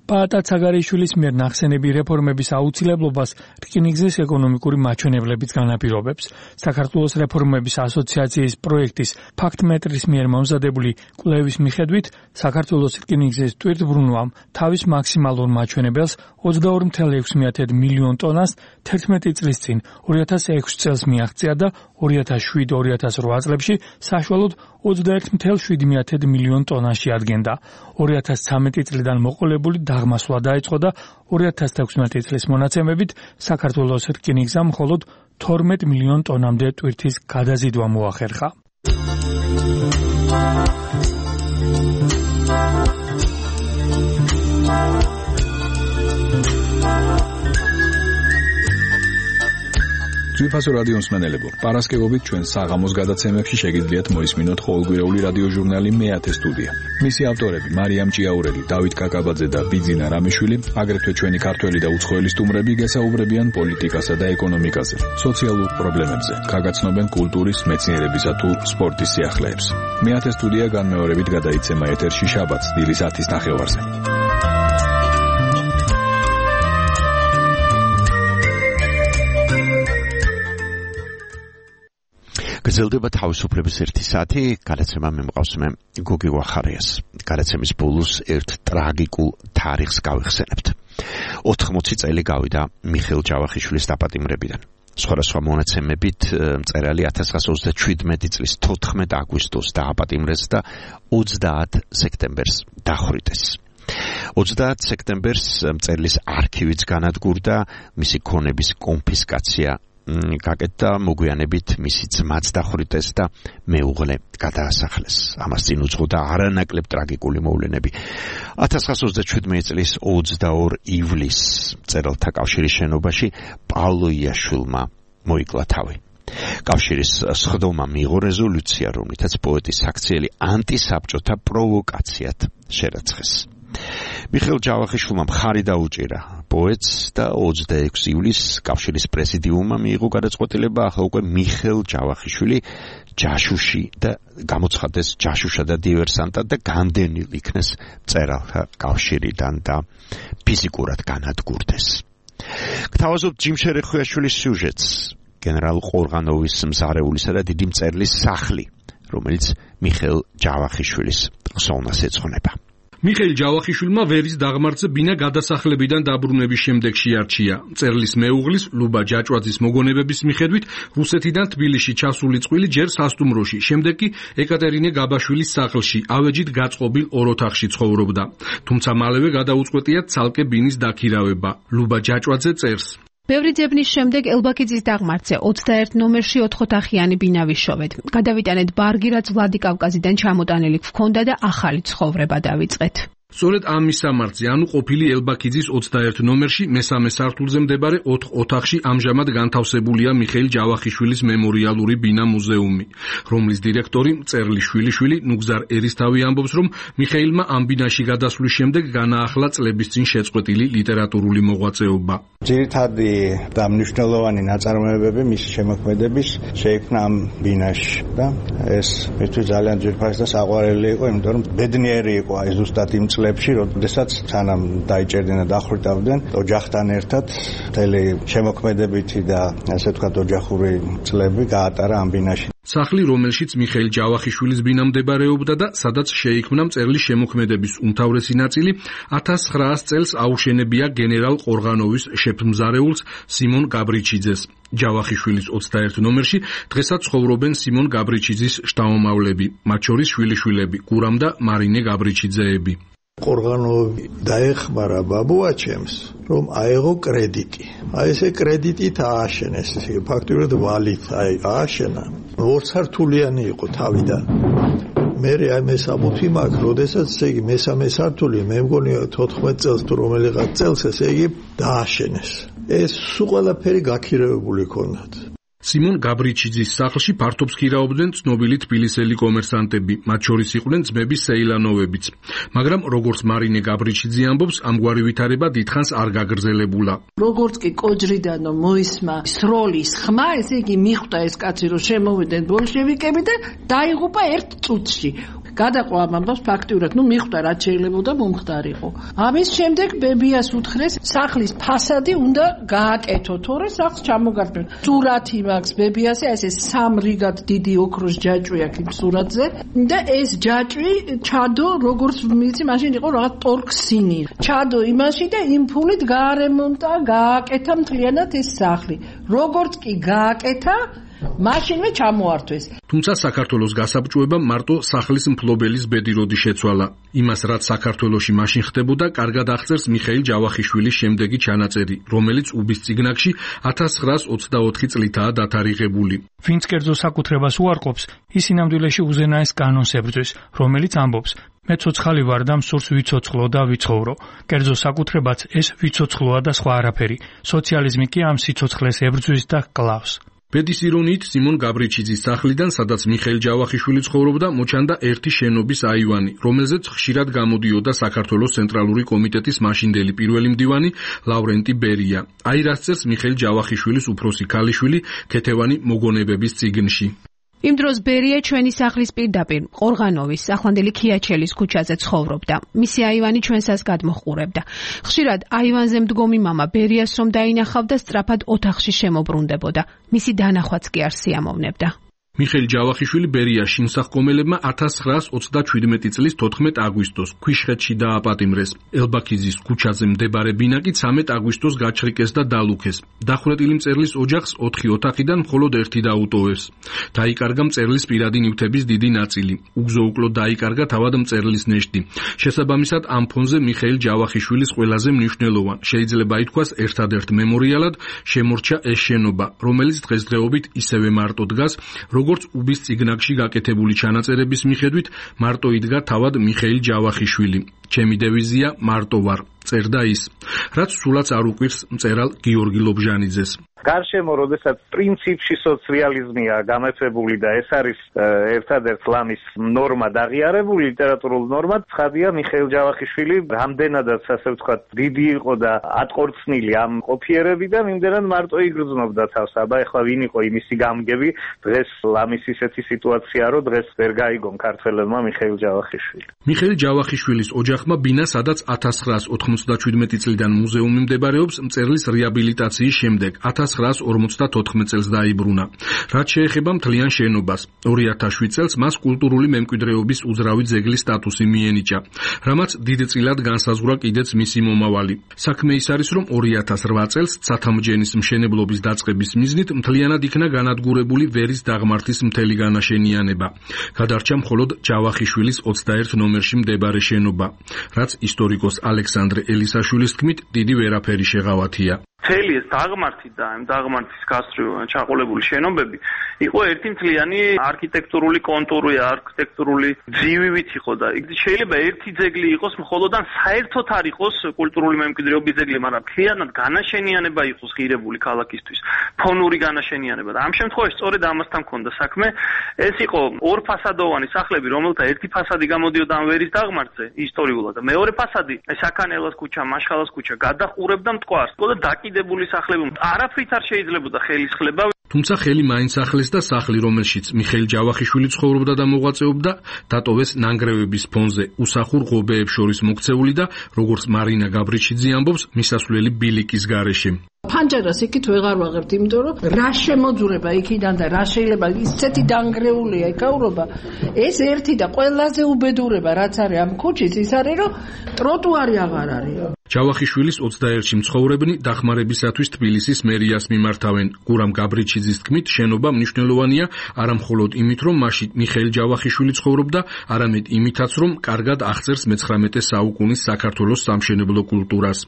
პაატა ცაგარეიშვილის მიერ ნახსენები რეფორმების აუცილებლობას რკინიგზის ეკონომიკური მაჩვენებლებიც განაპირობებს. საქართველოს რეფორმების ასოციაციის პროექტის ფაქტმეტრის მიერ მომზადებული კვლევის მიხედვით, საქართველოს რკინიგზის ტვირთბრუნვამ თავის მაქსიმალურ მაჩვენებელს ოცდაორი წუთი ექვსი მილიონ ტონას თერთმეტი წლის წინ ორი ათას ექვსი წელს მიაღწია და ორი ათას შვიდ ორი ათას რვა წლებში საშუალოდ ოცდაერთი წუთი შვიდი მილიონ ტონაში ადგენდა. ორი ათას ცხრამეტი წლიდან მოყოლებული აღმასვლა დაიწყო და ორი ათას თექვსმეტი წლის მონაცემებით საქართველოს რკინიგზამ მხოლოდ თორმეტ მილიონ ტონამდე ტვირთის გადაზიდვა მოახერხა. ძვირფასო რადიო მსმენელებო, პარასკევობით ჩვენ საღამოს გადაცემებში შეგიძლიათ მოისმინოთ ყოველკვირეული რადიო ჟურნალი მეათე სტუდია. მისი ავტორები მარიამ ჭიაურელი, დავით კაკაბაძე და ბიძინა რამიშვილი, აგრეთვე ჩვენი ქართველი და უცხოელი სტუმრები გესაუბრებიან პოლიტიკასა და ეკონომიკაზე, სოციალურ პრობლემებზე, გაგაცნობენ კულტურის, მეცნიერებისა თუ სპორტის სიახლეებს. მეათე სტუდია განმეორებით გადაიცემა ეთერში შაბათს დილის ათის ნახევარზე. გრძელდება თავისუფლების ერთი საათი, გადაცემა მე მყავს მე გოგი ვახარიას. გადაცემის ბოლოს ერთ ტრაგიკულ თარიღს გავიხსენებთ. ოთხმოცი წელი გავიდა მიხეილ ჯავახიშვილის დაპატიმრებიდან. სხვადასხვა მონაცემებით მწერალი ათას ცხრაასი ოცდაშვიდმეტი წლის თოთხმეტ აგვისტოს დააპატიმრეს და ოცდაათ სექტემბერს დახვრიტეს. ოცდაათ სექტემბერს მწერლის არქივიც განადგურდა, მისი ქონების კონფისკაცია გაკეთდა, მოგვიანებით მისი ძმაც დახვრიტეს და მეუღლე გადაასახლეს. ამას წინ უძღოდა არანაკლებ ტრაგიკული მოვლენები. ათას ცხრაასი ოცდაშვიდმეტი წლის ოცდაორ ივლისს მწერალთა კავშირის შენობაში პავლო იაშვილმა მოიკლა თავი. კავშირის სხდომა მიიღო რეზოლუცია, რომლითაც პოეტის საქციელი ანტისაბჭოთა პროვოკაციად შერაცხეს. მიხეილ ჯავახიშვილმა მხარი დაუჭირა პოეტს და ოცდაექვსი ივლისს კავშირის პრეზიდიუმმა მიიღო გადაწყვეტილება ახლა უკვე მიხეილ ჯავახიშვილი ჯაშუში და გამოცხადდეს ჯაშუშა და დივერსანტად და განდენილ იქნეს მწერალთა კავშირიდან და ფიზიკურად განადგურდეს. გთავაზობთ ჯიმ შერეხვიაშვილის სიუჟეტს, გენერალ ყორღანოვის მზარეულისა და დიდი მწერლის სახლი, რომელიც მიხეილ ჯავახიშვილის ხსოვნას ეძღვნება. მიხეილ ჯავახიშვილმა ვერის დაღმართზე ბინა გადასახლებიდან დაბრუნების შემდეგ შეარჩია. მწერლის მეუღლის ლუბა ჯაჭვაძის მოგონებების მიხედვით რუსეთიდან თბილისში ჩასული წყვილი ჯერ სასტუმროში, შემდეგ კი ეკატერინე გაბაშვილის სახლში, ავეჯით გაწყობილ ორ ოთახში ცხოვრობდა. თუმცა მალევე გადაუწყვეტია ცალკე ბინის დაქირავება. ლუბა ჯაჭვაძე წერს: ბევრი ძებნის შემდეგ ელბაქიძის დაღმართზე ოცდაერთ ნომერში ოთხოთახიანი ბინა ვიშოვეთ. გადავიტანეთ ბარგი, რაც ვლადიკავკაზიდან ჩამოტანილი გვქონდა და ახალი ცხოვრება დავიწყეთ. სწორედ ამ მისამართზე, ანუ ყოფილი ელბაქიძის ოცდაერთ ნომერში მესამე სართულზე მდებარე ოთხ ოთახში ამჟამად განთავსებულია მიხეილ ჯავახიშვილის მემორიალური ბინა მუზეუმი, რომლის დირექტორი მწერლის შვილიშვილი ნუგზარ ერისთავი ამბობს, რომ მიხეილმა ამ ბინაში გადასვლის შემდეგ განაახლა წლების წინ შეწყვეტილი ლიტერატურული მოღვაწეობა. ძირითადი და მნიშვნელოვანი ნაწარმოებები მისი შემოქმედების შეიქმნა ამ ბინაში და ეს მისთვის ძალიან ძვირფასი და საყვარელი იყო, იმიტომ რომ ბედნიერი იყო აი ზუსტად იმ წლებში, როდესაც სანამ დაიჭერდნენ და დახვრიტავდნენ ოჯახთან ერთად მთელი შემოქმედებითი და ასე ვთქვათ ოჯახური წლები გაატარა ამ ბინაში. სახლი, რომელშიც მიხეილ ჯავახიშვილის ბინა მდებარეობდა და სადაც შეიქმნა მწერლის შემოქმედების უმთავრესი ნაწილი, ათას ცხრაას წელს აუშენებია გენერალ ყორღანოვის შეფმზარეულს სიმონ გაბრიჩიძეს. ჯავახიშვილის ოცდაერთ ნომერში დღესაც ცხოვრობენ სიმონ გაბრიჩიძის შთამომავლები, მათ შორის შვილიშვილები გურამ და მარინე გაბრიჩიძეები. ყორღანოვი დაეხმარა ბაბუაჩემს, რომ აეღო კრედიტი. აი ესე კრედიტით ააშენეს, ესე ფაქტობრივად ვალით აი ააშენა. ორსართულიანი იყო თავიდან. მე აი მესამუთი მაქვს, როდესაც ესე იგი მესამე სართული, მე მგონი თოთხმეტ წელს თუ რომელიღაც წელს ესე იგი დააშენეს. ეს სულ ყველაფერი გაქირევებული ქონდათ. სიმონ გაბრიჩიძის სახლში ფართობს ქირაობდნენ ცნობილი თბილისელი კომერსანტები, მათ შორის იყვნენ ძმები სეილანოვებიც. მაგრამ როგორც მარინე გაბრიჩიძე ამბობს, ამგვარი ვითარება დიდხანს არ გაგრძელებულა. როგორც კი კოჯრიდანო მოისმა სროლის ხმა, ესე იგი მიხვდა ეს კაცი, რომ შემოვიდნენ ბოლშევიკები და დაიღუპა ერთ წუთში. გადაყვა ამ ამბავს ფაქტიურად, ну მიხვდა რაც შეიძლებოდა მომხდარიყო. ამის შემდეგ ბებიას უთხრეს, სახლის ფასადი უნდა გააკეთო, თორე სახლს ჩამოგარდნენ. სურათი მაქვს ბებიასე, ესე სამ რიგად დიდი ოქროს ჯაჭვი აქვს იმ სურათზე და ეს ჯაჭვი ჩადო, როგორც ვიცი, მაშინ იყო რაღაც ტორქსინი. ჩადო იმაში და იმ ფულით გაარემონტა, გააკეთა მთლიანად ეს სახლი. როგორც კი გააკეთა, მაშინვე ჩამოართვეს. თუმცა საქართველოს გასაბჭოებამ მარტო სახლის მფლობელის ბედი როდი შეცვალა. იმას, რაც საქართველოში მაშინ ხდებოდა, კარგად აღწერს მიხეილ ჯავახიშვილის შემდეგი ჩანაწერი, რომელიც უბის წიგნაკში ათას ცხრაას ოცდაოთხი წლითაა დათარიღებული. ვინც კერძო საკუთრებას უარყოფს, ის ინამდვილეში უზენაეს კანონს ებრძვის, რომელიც ამბობს: მე ცოცხალი ვარ და მსურს ვიცოცხლო და ვიცხოვრო. კერძო საკუთრებაც ეს ვიცოცხლოა და სხვა არაფერი. სოციალიზმი კი ამ სიცოცხლეს ებრძვის და კლავს. ბედის ირონიით სიმონ გაბრიჩიძის სახლიდან, სადაც მიხეილ ჯავახიშვილი ცხოვრობდა, მოჩანდა ერთი შენობის აივანი, რომელზეც ხშირად გამოდიოდა საქართველოს ცენტრალური კომიტეტის მაშინდელი პირველი მდივანი ლავრენტი ბერია. აი რას წერს მიხეილ ჯავახიშვილის უფროსი ქალიშვილი ქეთევანი მოგონებების წიგნში. იმ დროს ბერია ჩვენი სახლის პირდაპირ ყორღანოვის ახლანდელი ქიაჩელის ქუჩაზე ცხოვრობდა. მისი აივანი ჩვენსაც გადმოჰყურებდა. ხშირად აივანზე მდგომი მამა ბერიას რომ დაინახავდა, სწრაფად ოთახში შემოbrunდებოდა. მისი დანახვაც კი არ სიამოვნებდა. მიხეილ ჯავახიშვილი ბერიას შინსახკომელებმა ათას ცხრაას ოცდაჩვიდმეტი წლის თოთხმეტ აგვისტოს ქვიშხეთში დააპატიმრეს. ელბაქიძის ქუჩაზე მდებარე ბინა კი ცამეტ აგვისტოს გაჩრიკეს და დალუქეს. დახვრეტილი მწერლის ოჯახს ოთხი ოთახიდან მხოლოდ ერთი დაუტოვეს. დაიკარგა მწერლის პირადი ნივთების დიდი ნაწილი. უგზო-უკლო დაიკარგა თავად მწერლის ნეშტი. შესაბამისად, ამ ფონზე მიხეილ ჯავახიშვილის ყველაზე მნიშვნელოვან, შეიძლება ითქვას ერთადერთ მემორიალად შემორჩა ეს შენობა, რომელიც დღესდღეობით ისევე მარტო დგას, როგორც უბის წიგნაკში გაკეთებული ჩანაწერების მიხედვით, მარტო იდგა თავად მიხეილ ჯავახიშვილი. ჩემი დევიზია მარტო ვარ, წერდა ის, რაც სულაც არ უყვირს მწერალ გიორგი ლობჟანიძეს. გარშემო, როდესაც პრინციპში სოციალიზმია გამეფებული და ეს არის ერთადერთ ლამის ნორმა დაღიარებული, ლიტერატურულ ნორმად, ცხადია მიხეილ ჯავახიშვილი რამდენადაც ასე ვთქვათ დიდი იყო და ატყორცნილი ამ ყოფიერებიდან, იმდენად მარტო იგრძნობდა თავს. აბა ეხლა ვინ იყო იმისი გამგები, დღეს ლამის ისეთი სიტუაცია, რომ დღეს ვერ გაიგონ ქართველებმა მიხეილ ჯავახიშვილი. მიხეილ ჯავახიშვილის ოჯახმა ბინა, სადაც ათას ცხრაას ოთხმოცდაათი ოცდაჩვიდმეტი წლიდან მუზეუმი მდებარეობს მწერლის რეაბილიტაციის შემდეგ ათას ცხრაას ორმოცდათოთხმეტ წელს დაიბრუნა. რაც შეეხება მთლიან შენობას, ორი ათას შვიდ წელს მას კულტურული მემკვიდრეობის უძრავი ძეგლის სტატუსი მიენიჭა, რამაც დიდწილად განსაზღვრა კიდეც მისი მომავალი. საქმე ის არის, რომ ორი ათას რვა წელს ცათამბჯენის მშენებლობის დაწყების მიზნით მთლიანად იქნა განადგურებული ვერის დაღმართის მთელი განაშენიანება. გადარჩა მხოლოდ ჯავახიშვილის ოცდაერთ ნომერში მდებარე შენობა, რაც ისტორიკოს ალექსანდრე ელისაშვილის თქმით დიდი ვერაფერი შეღავათია. მთელი ეს დაღმართი და ამ დაღმართის გასწვრივ ჩაყოლებული შენობები იყო ერთი მთლიანი არქიტექტურული კონტური, არქიტექტურული ძივივით იყო და შეიძლება ერთი ძეგლი იყოს მხოლოდ ან საერთოდ არ იყოს კულტურული მემკვიდრეობის ძეგლი, მაგრამ მთლიანად განაშენიანება იყოს ღირებული ქალაქისთვის, ფონური განაშენიანება და ამ შემთხვევაში სწორედ ამასთან მქონდა საქმე. ეს იყო ორფასადოვანი სახლები, რომელთა ერთი ფასადი გამოდიოდა ამ ვერის დაღმართზე ისტორიულად და მეორე ფასადი საქანელას ქუჩა, მაშხალას ქუჩა გადაყურებდა მტკვარს. და დაკიდებული სახლები არაფრით არ შეიძლებოდა ხელისხლება. თუმცა ხელი მაინც ახლეს და სახლი, რომელშიც მიხეილ ჯავახიშვილი ცხოვრობდა და მოღვაწეობდა, დატოვეს ნანგრევების ფონზე უსახურ ღობეებს შორის მოქცეული და როგორც მარინა გაბრიჩიძე ამბობს, მისასვლელი ბილიკის გარეშე. ფანჯარას იქით ვეღარ ვაღებთ, იმიტომ რომ რა შემოძურება იქიდან და რა შეიძლება ისეთი დანგრეულია ეკავრობა. ეს ერთი და ყველაზე უბედურება რაც არის ამ ქუჩის ის არის, რომ ტროტუარი აღარ არის. ჯავახიშვილის ოცდაერთში მცხოვრებნი დახმარებისათვის თბილისის მერიას მიმართავენ. გურამ გაბრიჩიძის თქმით, შენობა მნიშვნელოვანია არა მხოლოდ იმით, რომ მასში მიხეილ ჯავახიშვილი ცხოვრობდა, არამედ იმითაც, რომ კარგად აღწერს მეცხრამეტე საუკუნის საქართველოს სამშენებლო კულტურას.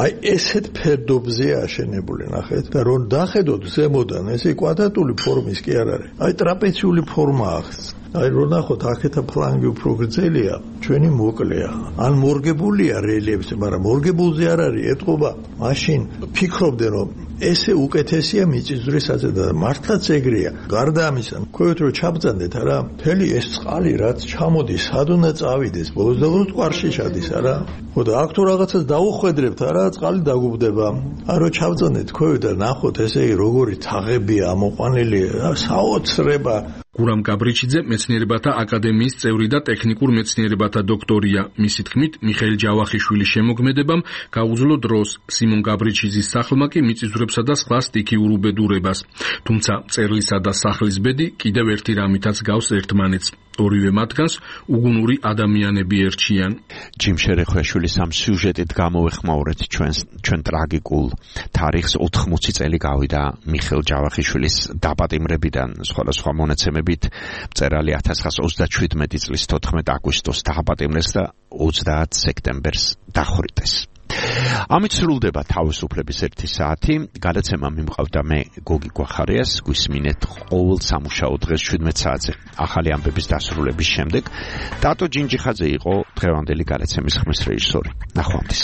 აი ესეთ ფერდობზე აშენებული ნახეთ და რომ დახედოთ ზემოდან, ესე კვადრატული ფორმის კი არ არის. აი ტრაპეციული ფორმა აქვს. აი რომ ნახოთ, აქეთა ფლანგი უფრო გრძელია, ჩვენი მოკლეა. ან მორგებულია რელიეფზე, მაგრამ მორგებულზე არ არის ეტყობა. მაშინ ფიქრობდნენ, რომ ესე უკეთესია მიწისძვრისაზე და მართლაც ეგრეა. გარდა ამისა, ქვევით რომ ჩაბრძანდეთ არა, მთელი ეს წყალი რაც ჩამოდის, სად უნდა წავიდეს, ბოლოს და ბოლოს მტკვარში ჩადის არა. ხო და აქ თუ რაღაცას დაუხვედრებთ არა, წყალი დაგუბდება. ან რომ ჩაბრძანდეთ ქვევით და ნახოთ ესე როგორი თაღებია ამოყვანილი, საოცრება. გურამ გაბრიჩიძე მეცნიერებათა აკადემიის წევრი და ტექნიკურ მეცნიერებათა დოქტორია. მისი თქმით, მიხეილ ჯავახიშვილის შემოქმედებამ გაუძლო დროს, სიმონ გაბრიჩიძის სახლმა კი მიწისძვრებსა და სხვა სტიქიურ უბედურებას. თუმცა მწერლისა და სახლის ბედი კიდევ ერთი რამითაც გავს ერთმანეთს. ორივე მათგანს უგუნური ადამიანები ერჩიან. ჯიმ შერეხვეშვილის ამ სიუჟეტით გამოვეხმაურეთ ჩვენს ჩვენ ტრაგიკულ თარიღს. ოთხმოცი წელი გავიდა მიხეილ ჯავახიშვილის დაპატიმრებიდან. სხვადასხვა მონაცემებით მწერალი ათას ცხრაას ოცდაჩვიდმეტი წლის თოთხმეტ აგვისტოს დააპატიმრეს და ოცდაათ სექტემბერს დახვრიტეს. ამით სრულდება თავისუფლების ერთი საათი. გადაცემა მიმყავდა მე გოგი გვახარიას. გვისმინეთ ყოველ სამუშაო დღეს შვიდმეტ საათზე ახალი ამბების დასრულების შემდეგ. დატო ჯინჯიხაძე იყო დღევანდელი გადაცემის ხმის რეჟისორი. ნახვამდის.